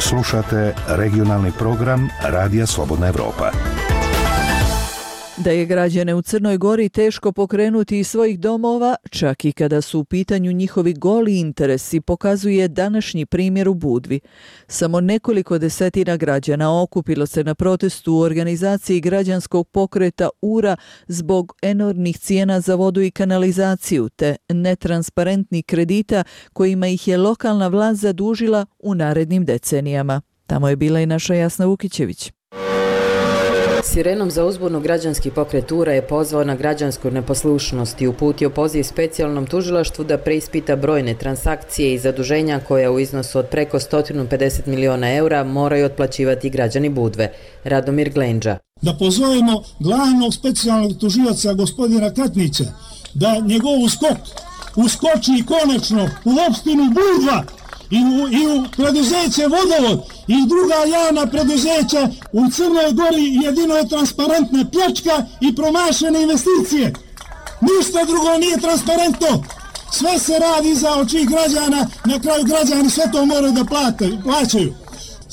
Slušate regionalni program Radija Slobodna Evropa. Da je građane u Crnoj Gori teško pokrenuti iz svojih domova, čak i kada su u pitanju njihovi goli interesi, pokazuje današnji primjer u Budvi. Samo nekoliko desetina građana okupilo se na protestu u organizaciji građanskog pokreta U R A zbog enormnih cijena za vodu i kanalizaciju te netransparentnih kredita kojima ih je lokalna vlast zadužila u narednim decenijama. Tamo je bila i naša Jasna Vukićević. Sirenom za uzbunu građanski pokret U R A je pozvao na građansku neposlušnost i uputio poziv specijalnom tužilaštvu da preispita brojne transakcije i zaduženja koja u iznosu od preko sto pedeset miliona eura moraju otplaćivati građani Budve. Radomir Glenđa. Da pozovemo glavnog specijalnog tužilaca gospodina Katnića da njegov uskok uskoči konačno u opštinu Budva I u, i u preduzeće Vodovod i druga javna preduzeća u Crnoj Gori jedino je transparentna pljačka i promašene investicije. Ništa drugo nije transparentno. Sve se radi za oči građana, na kraju građani sve to moraju da plate, plaćaju.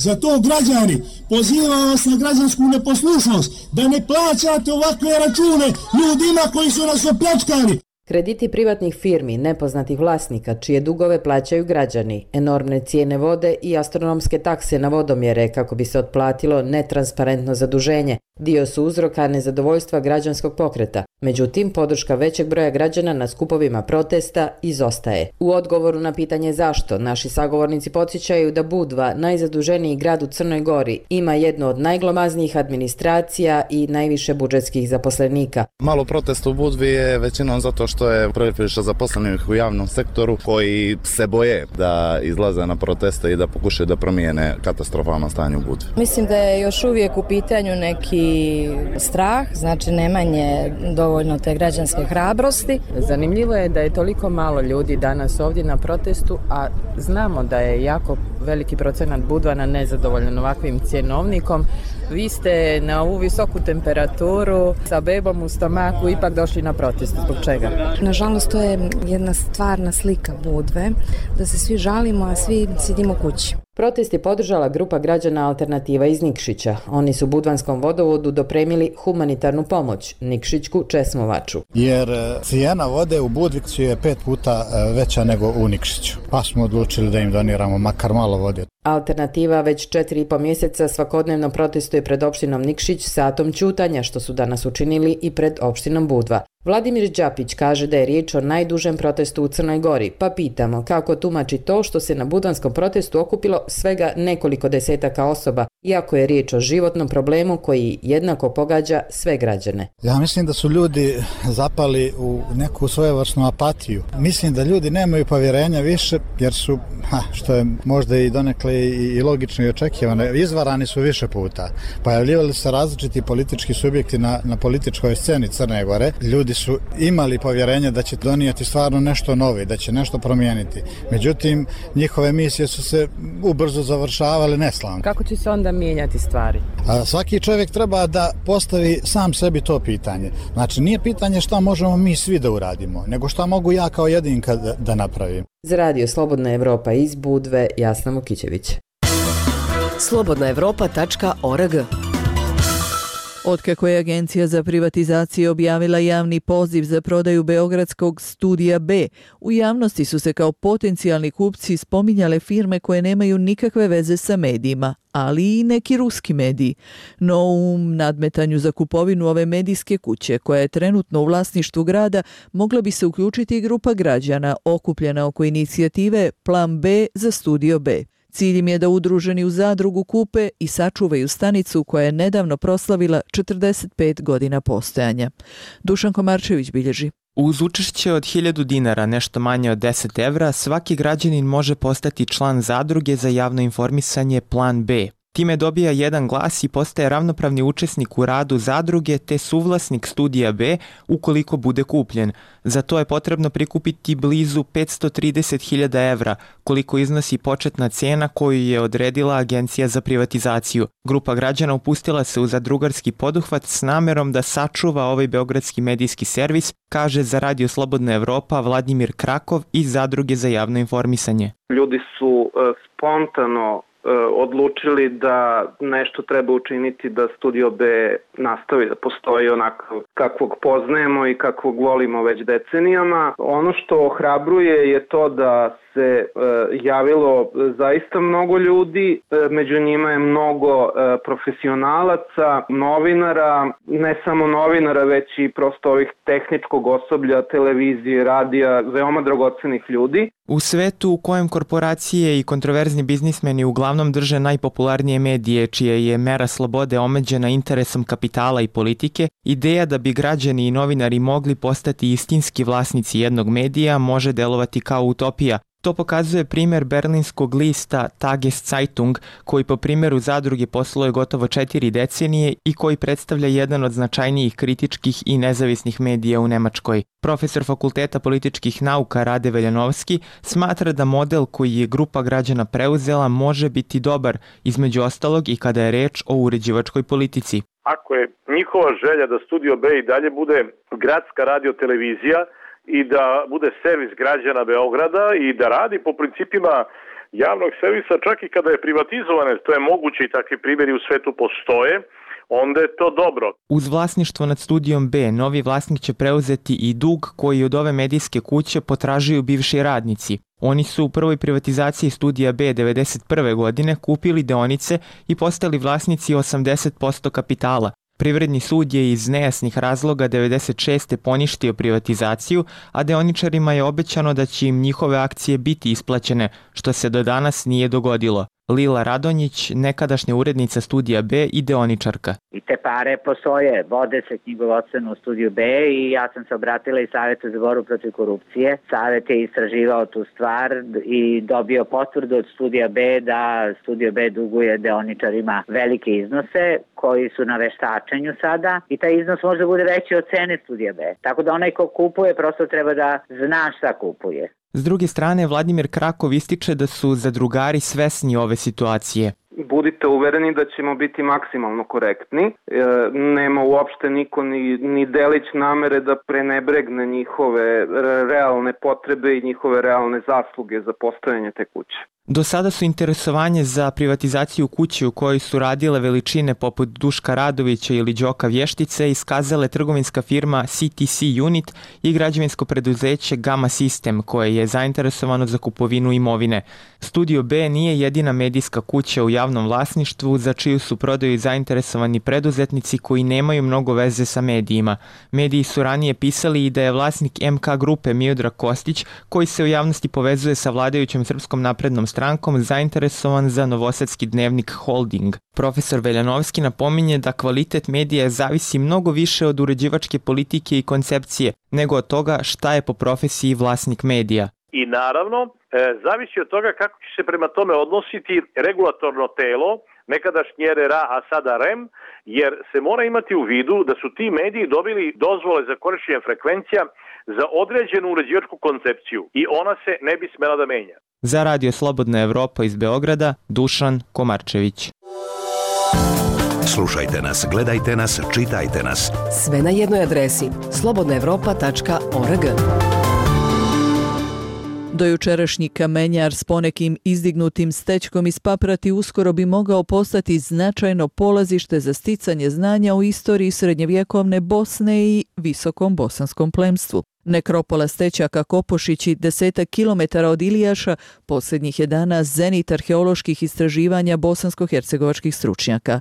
Zato građani, pozivam vas na građansku neposlušnost, da ne plaćate ovakve račune ljudima koji su nas opljačkali. Krediti privatnih firmi, nepoznatih vlasnika, čije dugove plaćaju građani, enormne cijene vode i astronomske takse na vodomjere kako bi se otplatilo netransparentno zaduženje, dio su uzroka nezadovoljstva građanskog pokreta. Međutim, podrška većeg broja građana na skupovima protesta izostaje. U odgovoru na pitanje zašto, naši sagovornici podsjećaju da Budva, najzaduženiji grad u Crnoj Gori, ima jednu od najglomaznijih administracija i najviše budžetskih zaposlenika. Malo protesta u Budvi je većinom zato što je previše zaposlenih u javnom sektoru koji se boje da izlaze na proteste i da pokušaju da promijene katastrofalno stanje u Budvi. Mislim da je još uvijek u pitanju neki strah, znači nemanje dovoljno te građanske hrabrosti. Zanimljivo je da je toliko malo ljudi danas ovdje na protestu, a znamo da je jako veliki procenat Budvana nezadovoljan ovakvim cjenovnikom. Vi ste na ovu visoku temperaturu sa bebom u stomaku ipak došli na protest. Zbog čega? Nažalost, to je jedna stvarna slika Budve, da se svi žalimo, a svi sidimo kući. Protest je podržala grupa građana Alternativa iz Nikšića. Oni su Budvanskom vodovodu dopremili humanitarnu pomoć, Nikšićku česmovaču. Jer cijena vode u Budvici je pet puta veća nego u Nikšiću. Pa smo odlučili da im doniramo makar malo vode. Alternativa već četiri i po mjeseca svakodnevno protestuje pred opštinom Nikšić satom ćutanja, što su danas učinili i pred opštinom Budva. Vladimir Đapić kaže da je riječ o najdužem protestu u Crnoj Gori, pa pitamo kako tumači to što se na budvanskom protestu okupilo svega nekoliko desetaka osoba, iako je riječ o životnom problemu koji jednako pogađa sve građane. Ja mislim da su ljudi zapali u neku svojevrsnu apatiju. Mislim da ljudi nemaju povjerenja više jer su, ha, što je možda i donekle i, i logično i očekivano, izvarani su više puta. Pojavljivali se različiti politički subjekti na, na političkoj sceni Crne Gore. Ljudi su imali povjerenje da će donijeti stvarno nešto novo, da će nešto promijeniti. Međutim, njihove misije su se ubrzo završavale neslavno. Kako će se onda mijenjati stvari? A svaki čovjek treba da postavi sam sebi to pitanje. Znači, nije pitanje šta možemo mi svi da uradimo, nego šta mogu ja kao jedinka da, da napravim. Za Radio Slobodna Evropa iz Budve, Jasna Mukićević. slobodna evropa tačka org. Otkako je Agencija za privatizaciju objavila javni poziv za prodaju beogradskog Studija B, u javnosti su se kao potencijalni kupci spominjale firme koje nemaju nikakve veze sa medijima, ali i neki ruski mediji. No u nadmetanju za kupovinu ove medijske kuće, koja je trenutno u vlasništvu grada, mogla bi se uključiti i grupa građana okupljena oko inicijative Plan B za Studio B. Cilj im je da udruženi u zadrugu kupe i sačuvaju stanicu koja je nedavno proslavila četrdeset pet godina postojanja. Dušan Komarčević bilježi. Uz učešće od hiljadu dinara, nešto manje od deset evra, svaki građanin može postati član zadruge za javno informisanje Plan B. Time dobija jedan glas i postaje ravnopravni učesnik u radu zadruge te suvlasnik Studija B ukoliko bude kupljen. Za to je potrebno prikupiti blizu petsto trideset hiljada evra, koliko iznosi početna cena koju je odredila Agencija za privatizaciju. Grupa građana upustila se u zadrugarski poduhvat s namerom da sačuva ovaj beogradski medijski servis, kaže za Radio Slobodna Evropa Vladimir Krakov iz Zadruge za javno informisanje. Ljudi su spontano odlučili da nešto treba učiniti da Studio B nastavi da postoji onako kakvog poznajemo i kakvog volimo već decenijama. Ono što ohrabruje je to da se e, javilo zaista mnogo ljudi, e, među njima je mnogo e, profesionalaca, novinara, ne samo novinara, već i prosto ovih tehničkog osoblja, televizije, radija, veoma dragocenih ljudi. U svetu u kojem korporacije i kontroverzni biznismeni uglavnom drže najpopularnije medije, čija je mera slobode omeđena interesom kapitala i politike, ideja da bi građani i novinari mogli postati istinski vlasnici jednog medija može delovati kao utopija. To pokazuje primjer berlinskog lista Tageszeitung, koji po primjeru zadruge posluje gotovo četiri decenije i koji predstavlja jedan od značajnijih kritičkih i nezavisnih medija u Nemačkoj. Profesor Fakulteta političkih nauka Rade Veljanovski smatra da model koji je grupa građana preuzela može biti dobar, između ostalog i kada je reč o uređivačkoj politici. Ako je njihova želja da Studio B i dalje bude gradska radiotelevizija, i da bude servis građana Beograda i da radi po principima javnog servisa čak i kada je privatizovane, to je moguće i takvi primjeri u svetu postoje, onda je to dobro. Uz vlasništvo nad Studijom B, novi vlasnik će preuzeti i dug koji od ove medijske kuće potražuju bivši radnici. Oni su u prvoj privatizaciji Studija B devedeset prve godine kupili deonice i postali vlasnici osamdeset posto kapitala. Privredni sud je iz nejasnih razloga devedeset šeste poništio privatizaciju, a deoničarima je obećano da će im njihove akcije biti isplaćene, što se do danas nije dogodilo. Lila Radonjić, nekadašnja urednica Studija B i deoničarka. I te pare postoje, vode se knjigovodstveno u Studiju B i ja sam se obratila i Savjetu za borbu protiv korupcije. Savjet je istraživao tu stvar i dobio potvrdu od Studija B da Studio B duguje deoničarima velike iznose koji su na veštačenju sada i taj iznos može bude veći od cene Studija B. Tako da onaj ko kupuje prosto treba da zna šta kupuje. S druge strane, Vladimir Krakov ističe da su zadrugari svesni ove situacije. Budite uvereni da ćemo biti maksimalno korektni. E, nema uopšte niko ni, ni delić namere da prenebregne njihove realne potrebe i njihove realne zasluge za postojanje te kuće. Do sada su interesovanje za privatizaciju kuće u kojoj su radile veličine poput Duška Radovića ili Đoka Vještice iskazale trgovinska firma C T C Unit i građevinsko preduzeće Gama System koje je zainteresovano za kupovinu imovine. Studio B nije jedina medijska kuća u javnom vlasništvu za čiju su prodaju zainteresovani preduzetnici koji nemaju mnogo veze sa medijima. Mediji su ranije pisali i da je vlasnik M K grupe Miodrag Kostić, koji se u javnosti povezuje sa vladajućom Srpskom naprednom strankom, zainteresovan za novosadski dnevnik Holding. Profesor Veljanovski napominje da kvalitet medija zavisi mnogo više od uređivačke politike i koncepcije, nego od toga šta je po profesiji vlasnik medija. i naravno e, zavisi od toga kako će se prema tome odnositi regulatorno telo, nekadašnji R R A, a sada R E M, jer se mora imati u vidu da su ti mediji dobili dozvole za korištenje frekvencija za određenu uređivačku koncepciju i ona se ne bi smela da menja. Za Radio Slobodna Evropa iz Beograda, Dušan Komarčević. Slušajte nas, gledajte nas, čitajte nas. Sve na jednoj adresi slobodna evropa tačka org. Dojučerašnji kamenjar s ponekim izdignutim stečkom iz Paprati uskoro bi mogao postati značajno polazište za sticanje znanja o istoriji srednjevjekovne Bosne i visokom bosanskom plemstvu. Nekropola Stećaka Kopošići, desetak kilometara od Ilijaša, posljednjih je dana zenit arheoloških istraživanja bosansko-hercegovačkih stručnjaka.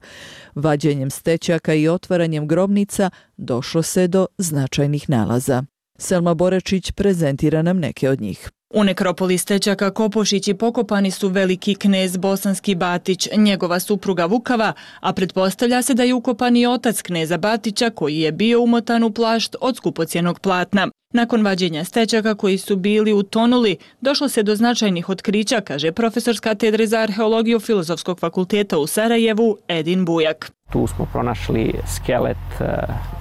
Vađenjem stećaka i otvaranjem grobnica došlo se do značajnih nalaza. Selma Borečić prezentira nam neke od njih. U nekropoli Stećaka Kopošići pokopani su veliki knez Bosanski Batić, njegova supruga Vukava, a pretpostavlja se da je ukopan i otac kneza Batića koji je bio umotan u plašt od skupocjenog platna. Nakon vađenja stećaka koji su bili utonuli, došlo se do značajnih otkrića, kaže profesor s katedre za arheologiju Filozofskog fakulteta u Sarajevu Edin Bujak. Tu smo pronašli skelet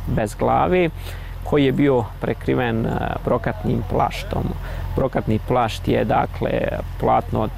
bez glavi koji je bio prekriven brokatnim plaštom. Brokatni plašt je dakle platno od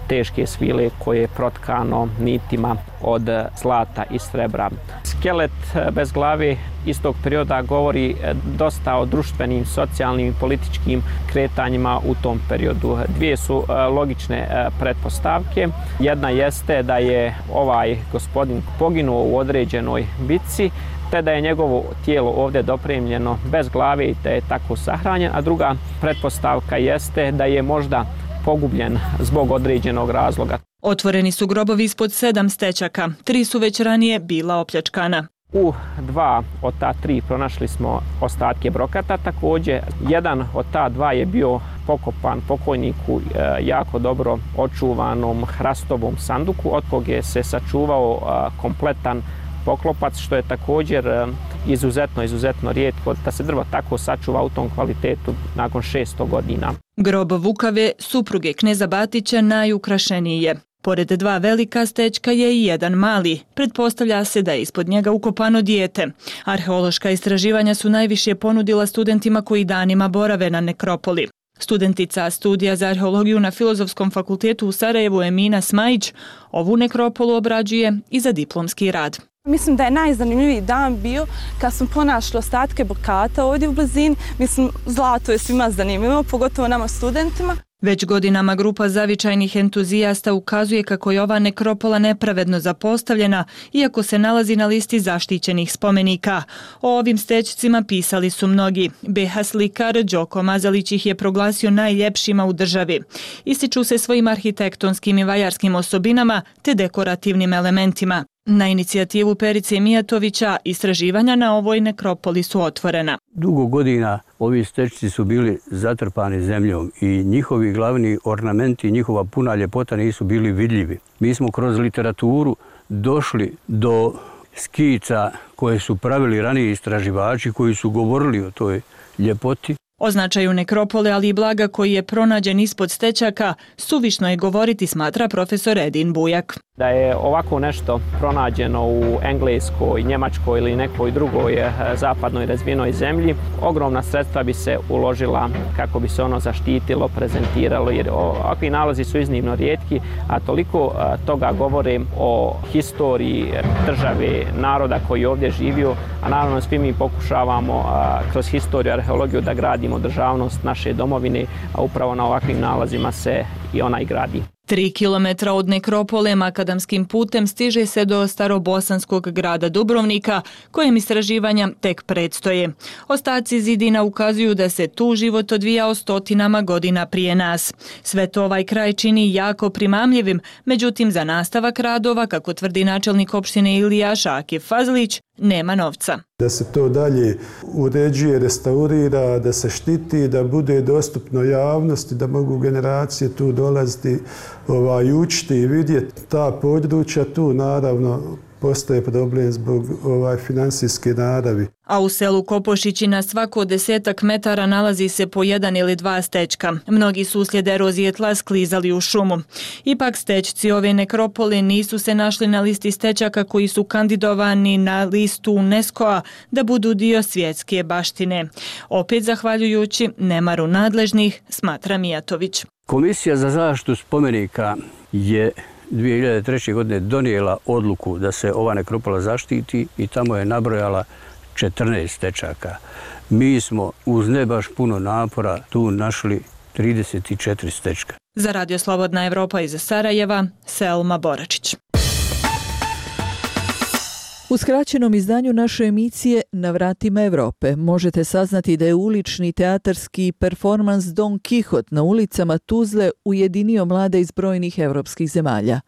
teške svile koje je protkano nitima od zlata i srebra. Skelet bez glave iz tog perioda govori dosta o društvenim, socijalnim i političkim kretanjima u tom periodu. Dvije su logične pretpostavke. Jedna jeste da je ovaj gospodin poginuo u određenoj bitci, te da je njegovo tijelo ovdje dopremljeno bez glave i da je tako sahranjen, a druga pretpostavka jeste da je možda pogubljen zbog određenog razloga. Otvoreni su grobovi ispod sedam stećaka, tri su već ranije bila opljačkana. U dva od ta tri pronašli smo ostatke brokata, također jedan od ta dva je bio pokopan pokojniku jako dobro očuvanom hrastovom sanduku, od koga se sačuvao kompletan poklopac, što je također izuzetno, izuzetno rijetko da se drvo tako sačuva u tom kvalitetu nakon šesto godina. Grob Vukave, supruge kneza Batića, najukrašeniji je. Pored dva velika stećka je i jedan mali. Pretpostavlja se da je ispod njega ukopano dijete. Arheološka istraživanja su najviše ponudila studentima koji danima borave na nekropoli. Studentica studija za arheologiju na Filozofskom fakultetu u Sarajevu Emina Smajić ovu nekropolu obrađuje i za diplomski rad. Mislim da je najzanimljiviji dan bio kad smo pronašli ostatke brokata ovdje u blizini. Mislim, zlato je svima zanimljivo, pogotovo nama studentima. Već godinama grupa zavičajnih entuzijasta ukazuje kako je ova nekropola nepravedno zapostavljena, iako se nalazi na listi zaštićenih spomenika. O ovim stećcima pisali su mnogi. B H slikar Đoko Mazalić ih je proglasio najljepšima u državi. Ističu se svojim arhitektonskim i vajarskim osobinama te dekorativnim elementima. Na inicijativu Perice Mijatovića istraživanja na ovoj nekropoli su otvorena. Dugo godina ovi stećci su bili zatrpani zemljom i njihovi glavni ornamenti, njihova puna ljepota nisu bili vidljivi. Mi smo kroz literaturu došli do skica koje su pravili raniji istraživači koji su govorili o toj ljepoti. O značaju nekropole, ali i blaga koji je pronađen ispod stećaka, suvišno je govoriti, smatra profesor Edin Bujak. Da je ovako nešto pronađeno u Engleskoj, Njemačkoj ili nekoj drugoj zapadnoj razvijenoj zemlji, ogromna sredstva bi se uložila kako bi se ono zaštitilo, prezentiralo, jer ovakvi nalazi su iznimno rijetki, a toliko toga govore o historiji države, naroda koji je ovdje živio, a naravno svi mi pokušavamo kroz historiju, arheologiju da gradimo državnost naše domovine, a upravo na ovakvim nalazima se i ona i gradi. Tri kilometra od nekropole makadamskim putem stiže se do starobosanskog grada Dubrovnika, kojem istraživanja tek predstoje. Ostaci zidina ukazuju da se tu život odvijao stotinama godina prije nas. Sve to ovaj kraj čini jako primamljivim, međutim za nastavak radova, kako tvrdi načelnik opštine Ilijaš Akif Fazlić, nema novca. Da se to dalje uređuje, restaurira, da se štiti, da bude dostupno javnosti, da mogu generacije tu dolaziti ovaj, učiti i vidjeti ta područja. Tu naravno postoje problem zbog ovaj finansijske naravi. A u selu Kopošići na svako desetak metara nalazi se po jedan ili dva stečka. Mnogi su uslijed erozije tla sklizali u šumu. Ipak stečci ove nekropole nisu se našli na listi stečaka koji su kandidovani na listu UNESCO-a da budu dio svjetske baštine. Opet zahvaljujući nemaru nadležnih, smatra Mijatović. Komisija za zaštitu spomenika je dvije hiljade treće. godine donijela odluku da se ova nekropola zaštiti i tamo je nabrojala četrnaest stečaka. Mi smo uz ne baš puno napora tu našli trideset četiri stečka. Za Radio Slobodna Evropa iz Sarajeva, Selma Boračić. U skraćenom izdanju naše emisije Na vratima Evrope možete saznati da je ulični teatarski performans Don Kihot na ulicama Tuzle ujedinio mlade iz brojnih evropskih zemalja.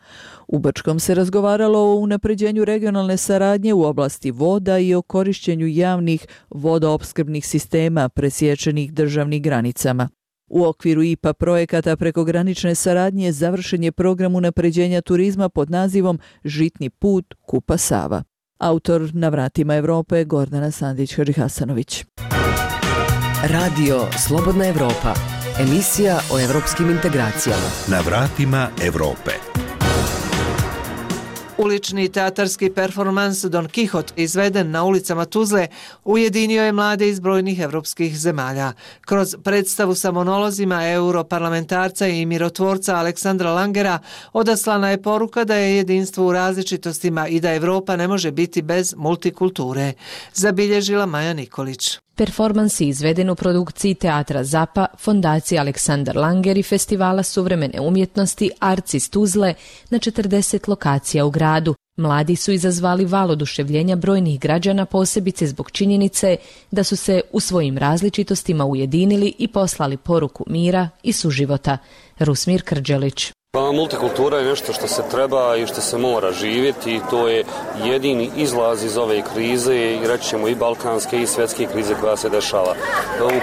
U Brčkom se razgovaralo o unapređenju regionalne saradnje u oblasti voda i o korišćenju javnih vodoopskrbnih sistema presječenih državnih granicama. U okviru I P A projekata prekogranične saradnje završen je program unapređenja turizma pod nazivom Žitni put Kupa Sava. Autor Na vratima Evrope Gordana Sandić-Hadžihasanović. Radio Slobodna Evropa. Emisija o evropskim integracijama. Na vratima Evrope. Ulični teatarski performans Don Kihot, izveden na ulicama Tuzle, ujedinio je mlade iz brojnih evropskih zemalja. Kroz predstavu sa monolozima europarlamentarca i mirotvorca Aleksandra Langera odaslana je poruka da je jedinstvo u različitostima i da Evropa ne može biti bez multikulture, zabilježila Maja Nikolić. Performans je izveden u produkciji Teatra Zapa, Fondacije Aleksandar Langer i Festivala suvremene umjetnosti Arts iz Tuzle na četrdeset lokacija u gradu. Mladi su izazvali val oduševljenja brojnih građana, posebice zbog činjenice da su se u svojim različitostima ujedinili i poslali poruku mira i suživota. Rusmir Krđelić. Pa, multikultura je nešto što se treba i što se mora živjeti i to je jedini izlaz iz ove krize i reći ćemo i balkanske i svjetske krize koja se dešava.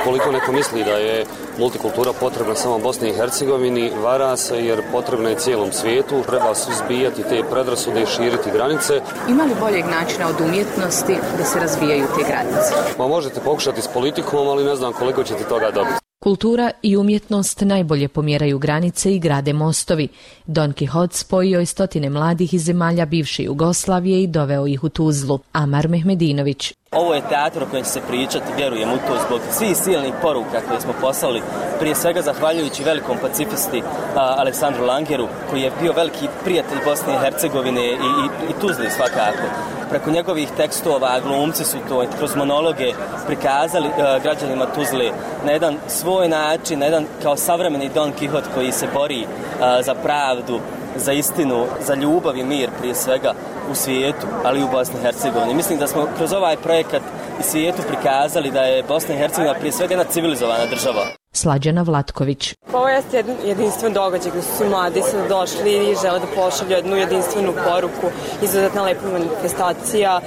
Ukoliko neko misli da je multikultura potrebna samo Bosni i Hercegovini, vara se jer potrebna je cijelom svijetu, treba suzbijati te predrasude i širiti granice. Ima li boljeg načina od umjetnosti da se razvijaju te granice? Pa možete pokušati s politikom, ali ne znam koliko ćete toga dobiti. Kultura i umjetnost najbolje pomjeraju granice i grade mostovi. Don Kihot spojio je stotine mladih iz zemalja bivše Jugoslavije i doveo ih u Tuzlu. Amar Mehmedinović. Ovo je teatr o kojem će se pričati, vjerujem u to, zbog svih silnih poruka koje smo poslali, prije svega zahvaljujući velikom pacifisti a, Aleksandru Langeru, koji je bio veliki prijatelj Bosne i Hercegovine i, i, i Tuzli svakako. Preko njegovih tekstova glumci su to kroz monologe prikazali a, građanima Tuzle na jedan svoj način, na jedan kao savremeni Don Kihot koji se bori a, za pravdu, za istinu, za ljubav i mir prije svega u svijetu, ali i u Bosni i Hercegovini. Mislim da smo kroz ovaj projekat i svijetu prikazali da je Bosna i Hercegovina prije svega jedna civilizovana država. Slađana Vlatković. Ovo je jedan jedinstven događaj gdje su svi mladi sada došli i žele da pošalju jednu jedinstvenu poruku, izuzetna lepa manifestacija,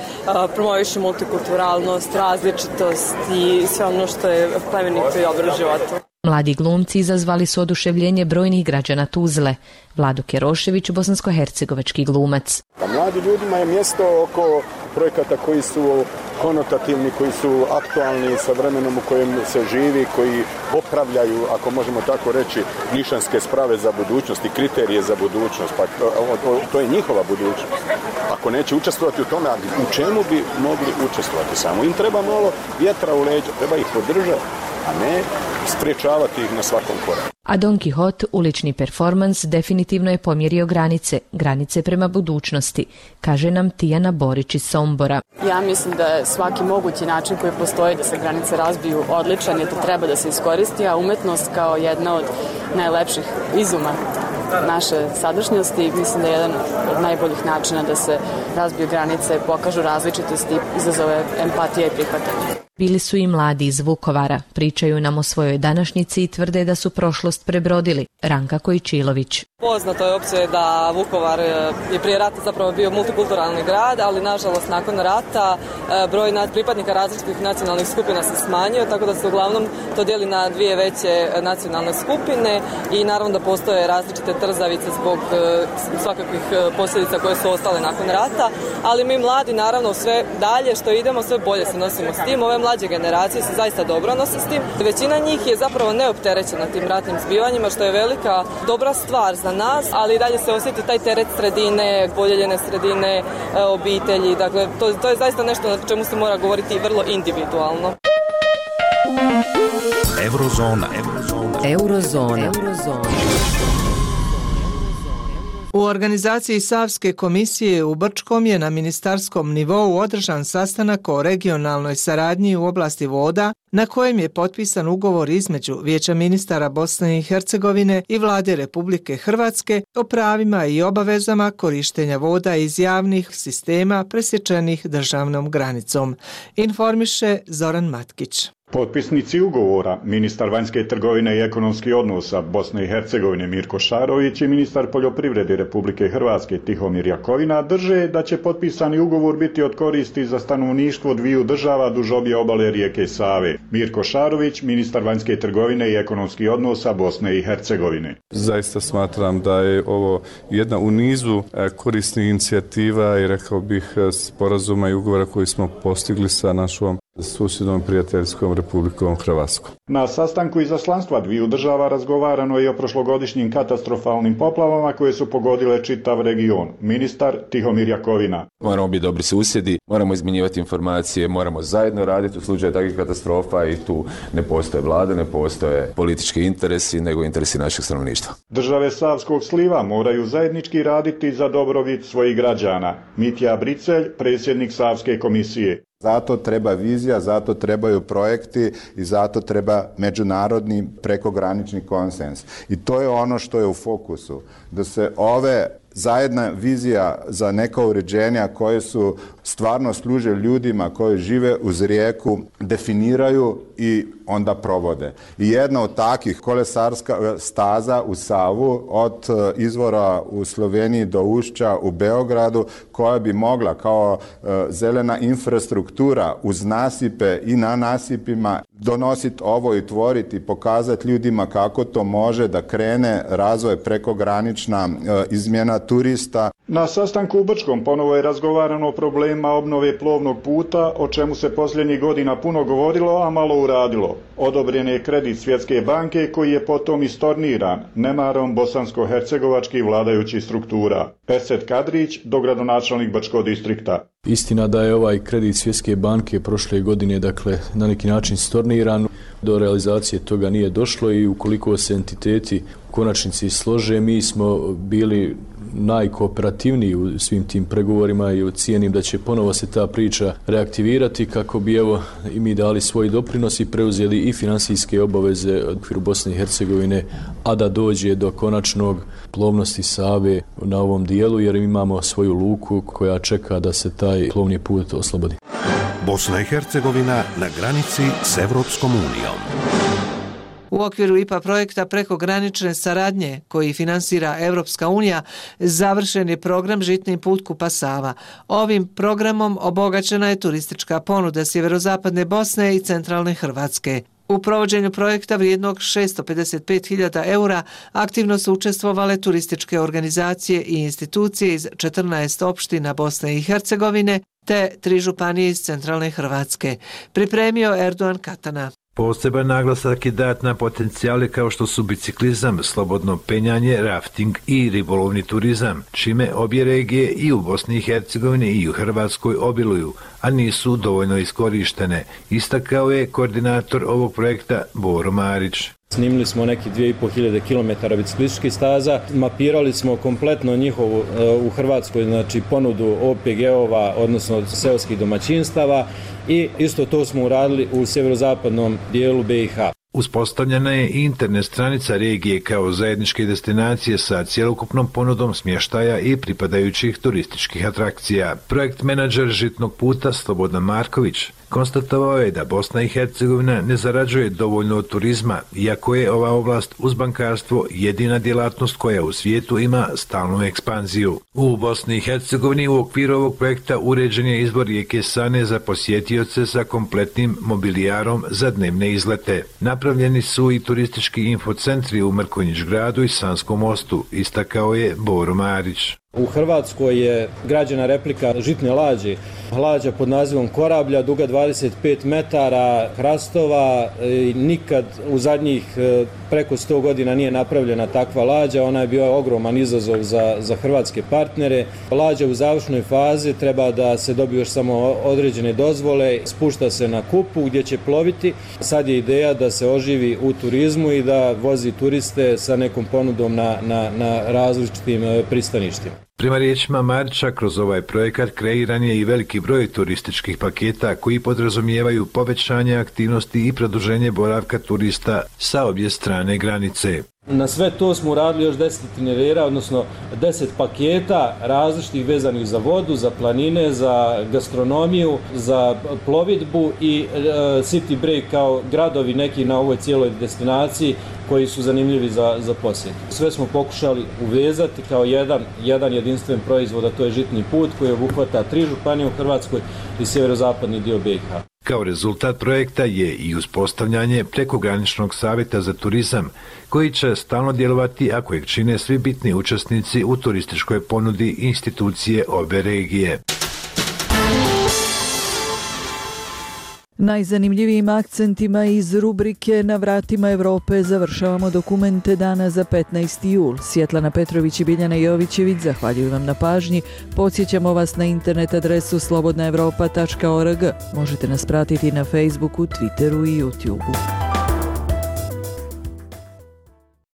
promoviše multikulturalnost, različitost i sve ono što je plemenito i dobro u životu. Mladi glumci izazvali su oduševljenje brojnih građana Tuzle. Vlado Kerošević, bosansko-hercegovački glumac. A mladi ljudima je mjesto oko projekata koji su konotativni, koji su aktualni sa vremenom u kojem se živi, koji popravljaju, ako možemo tako reći, nišanske sprave za budućnost i kriterije za budućnost. Pa to, to je njihova budućnost. Ako neće učestvovati u tome, u čemu bi mogli učestvovati? Samo im treba malo vjetra u leđa, treba ih podržati, a ne spriječavati ih na svakom koraku. A Don Kihot, ulični performans, definitivno je pomjerio granice, granice prema budućnosti, kaže nam Tijana Borić iz Sombora. Ja mislim da je svaki mogući način koji postoji da se granice razbiju odličan i to treba da se iskoristi, a umetnost kao jedna od najlepših izuma naše sadašnjosti, mislim da je jedan od najboljih načina da se razbiju granice, pokažu različitosti, izazove empatije i prihvatanje. bili su i mladi iz Vukovara. Pričaju nam o svojoj današnjici i tvrde da su prošlost prebrodili. Ranka Kojčilović. Poznato je opće da Vukovar je prije rata zapravo bio multikulturalni grad, ali nažalost nakon rata broj pripadnika različitih nacionalnih skupina se smanjio, tako da se uglavnom to dijeli na dvije veće nacionalne skupine i naravno da postoje različite trzavice zbog svakakvih posljedica koje su ostale nakon rata, ali mi mladi naravno sve dalje što idemo sve bolje se nosimo s tim. Ove mlađe generacije se zaista dobro nose s tim. Većina njih je zapravo neopterećena tim ratnim zbivanjima, što je velika dobra stvar za nas, ali i dalje se osjeti taj teret sredine, podijeljene sredine, obitelji. Dakle, to, to je zaista nešto na čemu se mora govoriti vrlo individualno. Eurozona. Eurozona. Eurozona. Eurozona. U organizaciji Savske komisije u Brčkom je na ministarskom nivou održan sastanak o regionalnoj saradnji u oblasti voda, na kojem je potpisan ugovor između Vijeća ministara Bosne i Hercegovine i Vlade Republike Hrvatske o pravima i obavezama korištenja voda iz javnih sistema presječenih državnom granicom, informiše Zoran Matkić. Potpisnici ugovora, ministar vanjske trgovine i ekonomskih odnosa Bosne i Hercegovine Mirko Šarović i ministar poljoprivrede Republike Hrvatske Tihomir Jakovina drže da će potpisani ugovor biti od koristi za stanovništvo dviju država duž obje obale rijeke Save. Mirko Šarović, ministar vanjske trgovine i ekonomskih odnosa Bosne i Hercegovine. Zaista smatram da je ovo jedna u nizu korisnih inicijativa i rekao bih sporazuma i ugovora koji smo postigli sa našom susjednom prijateljskom Republikom Hrvatskom. Na sastanku izaslanstva dviju država razgovarano je o prošlogodišnjim katastrofalnim poplavama koje su pogodile čitav region. Ministar Tihomir Jakovina. Moramo biti dobri susjedi, moramo izmjenjivati informacije, moramo zajedno raditi u slučaju takvih katastrofa i tu ne postoje vlade, ne postoje politički interesi, nego interesi našeg stanovništva. Države Savskog sliva moraju zajednički raditi za dobrobit svojih građana. Mitja Bricelj, predsjednik Savske komisije. Zato treba vizija, zato trebaju projekti i zato treba međunarodni prekogranični konsens. I to je ono što je u fokusu. Da se ove zajedna vizija za neka uređenja koje su stvarno služe ljudima koji žive uz rijeku, definiraju i onda provode. I jedna od takih kolesarska staza u Savu od izvora u Sloveniji do ušća u Beogradu koja bi mogla kao zelena infrastruktura uz nasipe i na nasipima donositi ovo i tvoriti, pokazati ljudima kako to može da krene razvoj prekogranična izmjena turista. Na sastanku u Brčkom ponovo je razgovarano o problemima obnove plovnog puta, o čemu se posljednjih godina puno govorilo, a malo uradilo. Odobren je kredit Svjetske banke koji je potom istorniran nemarom bosansko-hercegovačkih vladajućih struktura. Perset Kadrić, dogradonačelnik Brčkog distrikta. Istina da je ovaj kredit Svjetske banke prošle godine dakle na neki način storniran, do realizacije toga nije došlo i ukoliko se entiteti u konačnici slože, mi smo bili najkooperativniji u svim tim pregovorima i cijenim da će ponovo se ta priča reaktivirati kako bi evo i mi dali svoj doprinos i preuzeli i finansijske obaveze od okviru Bosne i Hercegovine, a da dođe do konačnog plovnosti Save na ovom dijelu jer imamo svoju luku koja čeka da se taj plovni put oslobodi. Bosna i Hercegovina na granici s Evropskom unijom. U okviru I P A projekta prekogranične saradnje koji finansira Evropska unija završen je program Žitni put Kupa-Sava. Ovim programom obogaćena je turistička ponuda sjeverozapadne Bosne i centralne Hrvatske. U provođenju projekta vrijednog šesto pedeset pet hiljada eura aktivno su učestvovale turističke organizacije i institucije iz četrnaest opština Bosne i Hercegovine te tri županije iz centralne Hrvatske. Pripremio Erdogan Katana. Poseban naglasak je dat na potencijale kao što su biciklizam, slobodno penjanje, rafting i ribolovni turizam, čime obje regije i u Bosni i Hercegovini i u Hrvatskoj obiluju, a nisu dovoljno iskorištene, istakao je koordinator ovog projekta Boro Marić. Snimili smo neki dvije i pol hiljade kilometara biciklističkih staza, mapirali smo kompletno njihovu u Hrvatskoj znači ponudu O P G-ova, odnosno seoskih domaćinstava i isto to smo uradili u sjeverozapadnom dijelu B i H. Uspostavljena je i internet stranica regije kao zajedničke destinacije sa cjelokupnom ponudom smještaja i pripadajućih turističkih atrakcija. Projekt menadžer Žitnog puta Slobodan Marković Konstatovao je da Bosna i Hercegovina ne zarađuje dovoljno od turizma, iako je ova oblast uz bankarstvo jedina djelatnost koja u svijetu ima stalnu ekspanziju. U Bosni i Hercegovini u okviru ovog projekta uređen je izbor rijeke Sane za posjetioce sa kompletnim mobilijarom za dnevne izlete. Napravljeni su i turistički infocentri u Mrkonjić gradu i Sanskom mostu, istakao je Boro Marić. U Hrvatskoj je građena replika žitne lađe, lađa pod nazivom Korablja, duga dvadeset pet metara, hrastova, nikad u zadnjih preko sto godina nije napravljena takva lađa, ona je bio ogroman izazov za, za hrvatske partnere. Lađa u završnoj fazi, treba da se dobiju još samo određene dozvole, spušta se na Kupu gdje će ploviti. Sad je ideja da se oživi u turizmu i da vozi turiste sa nekom ponudom na, na, na različitim pristaništima. Prema riječima Marića, kroz ovaj projekat kreiran je i veliki broj turističkih paketa koji podrazumijevaju povećanje aktivnosti i produženje boravka turista sa obje strane granice. Na sve to smo uradili još deset itinerera, odnosno deset paketa različitih vezanih za vodu, za planine, za gastronomiju, za plovidbu i e, city break kao gradovi neki na ovoj cijeloj destinaciji koji su zanimljivi za, za posjet. Sve smo pokušali uvezati kao jedan, jedan jedinstven proizvod, a to je žitni put koji obuhvata tri županije u Hrvatskoj i sjeverozapadni dio B i H. Kao rezultat projekta je i uspostavljanje prekograničnog savjeta za turizam, koji će stalno djelovati ako ih čine svi bitni učesnici u turističkoj ponudi institucije ove regije. Najzanimljivijim akcentima iz rubrike Na vratima Europe završavamo dokumente dana za petnaesti jul. Svjetlana Petrović i Biljana Jovićević zahvaljuju vam na pažnji. Podsjećamo vas na internet adresu slobodna europa tačka org. Možete nas pratiti na Facebooku, Twitteru i YouTubeu.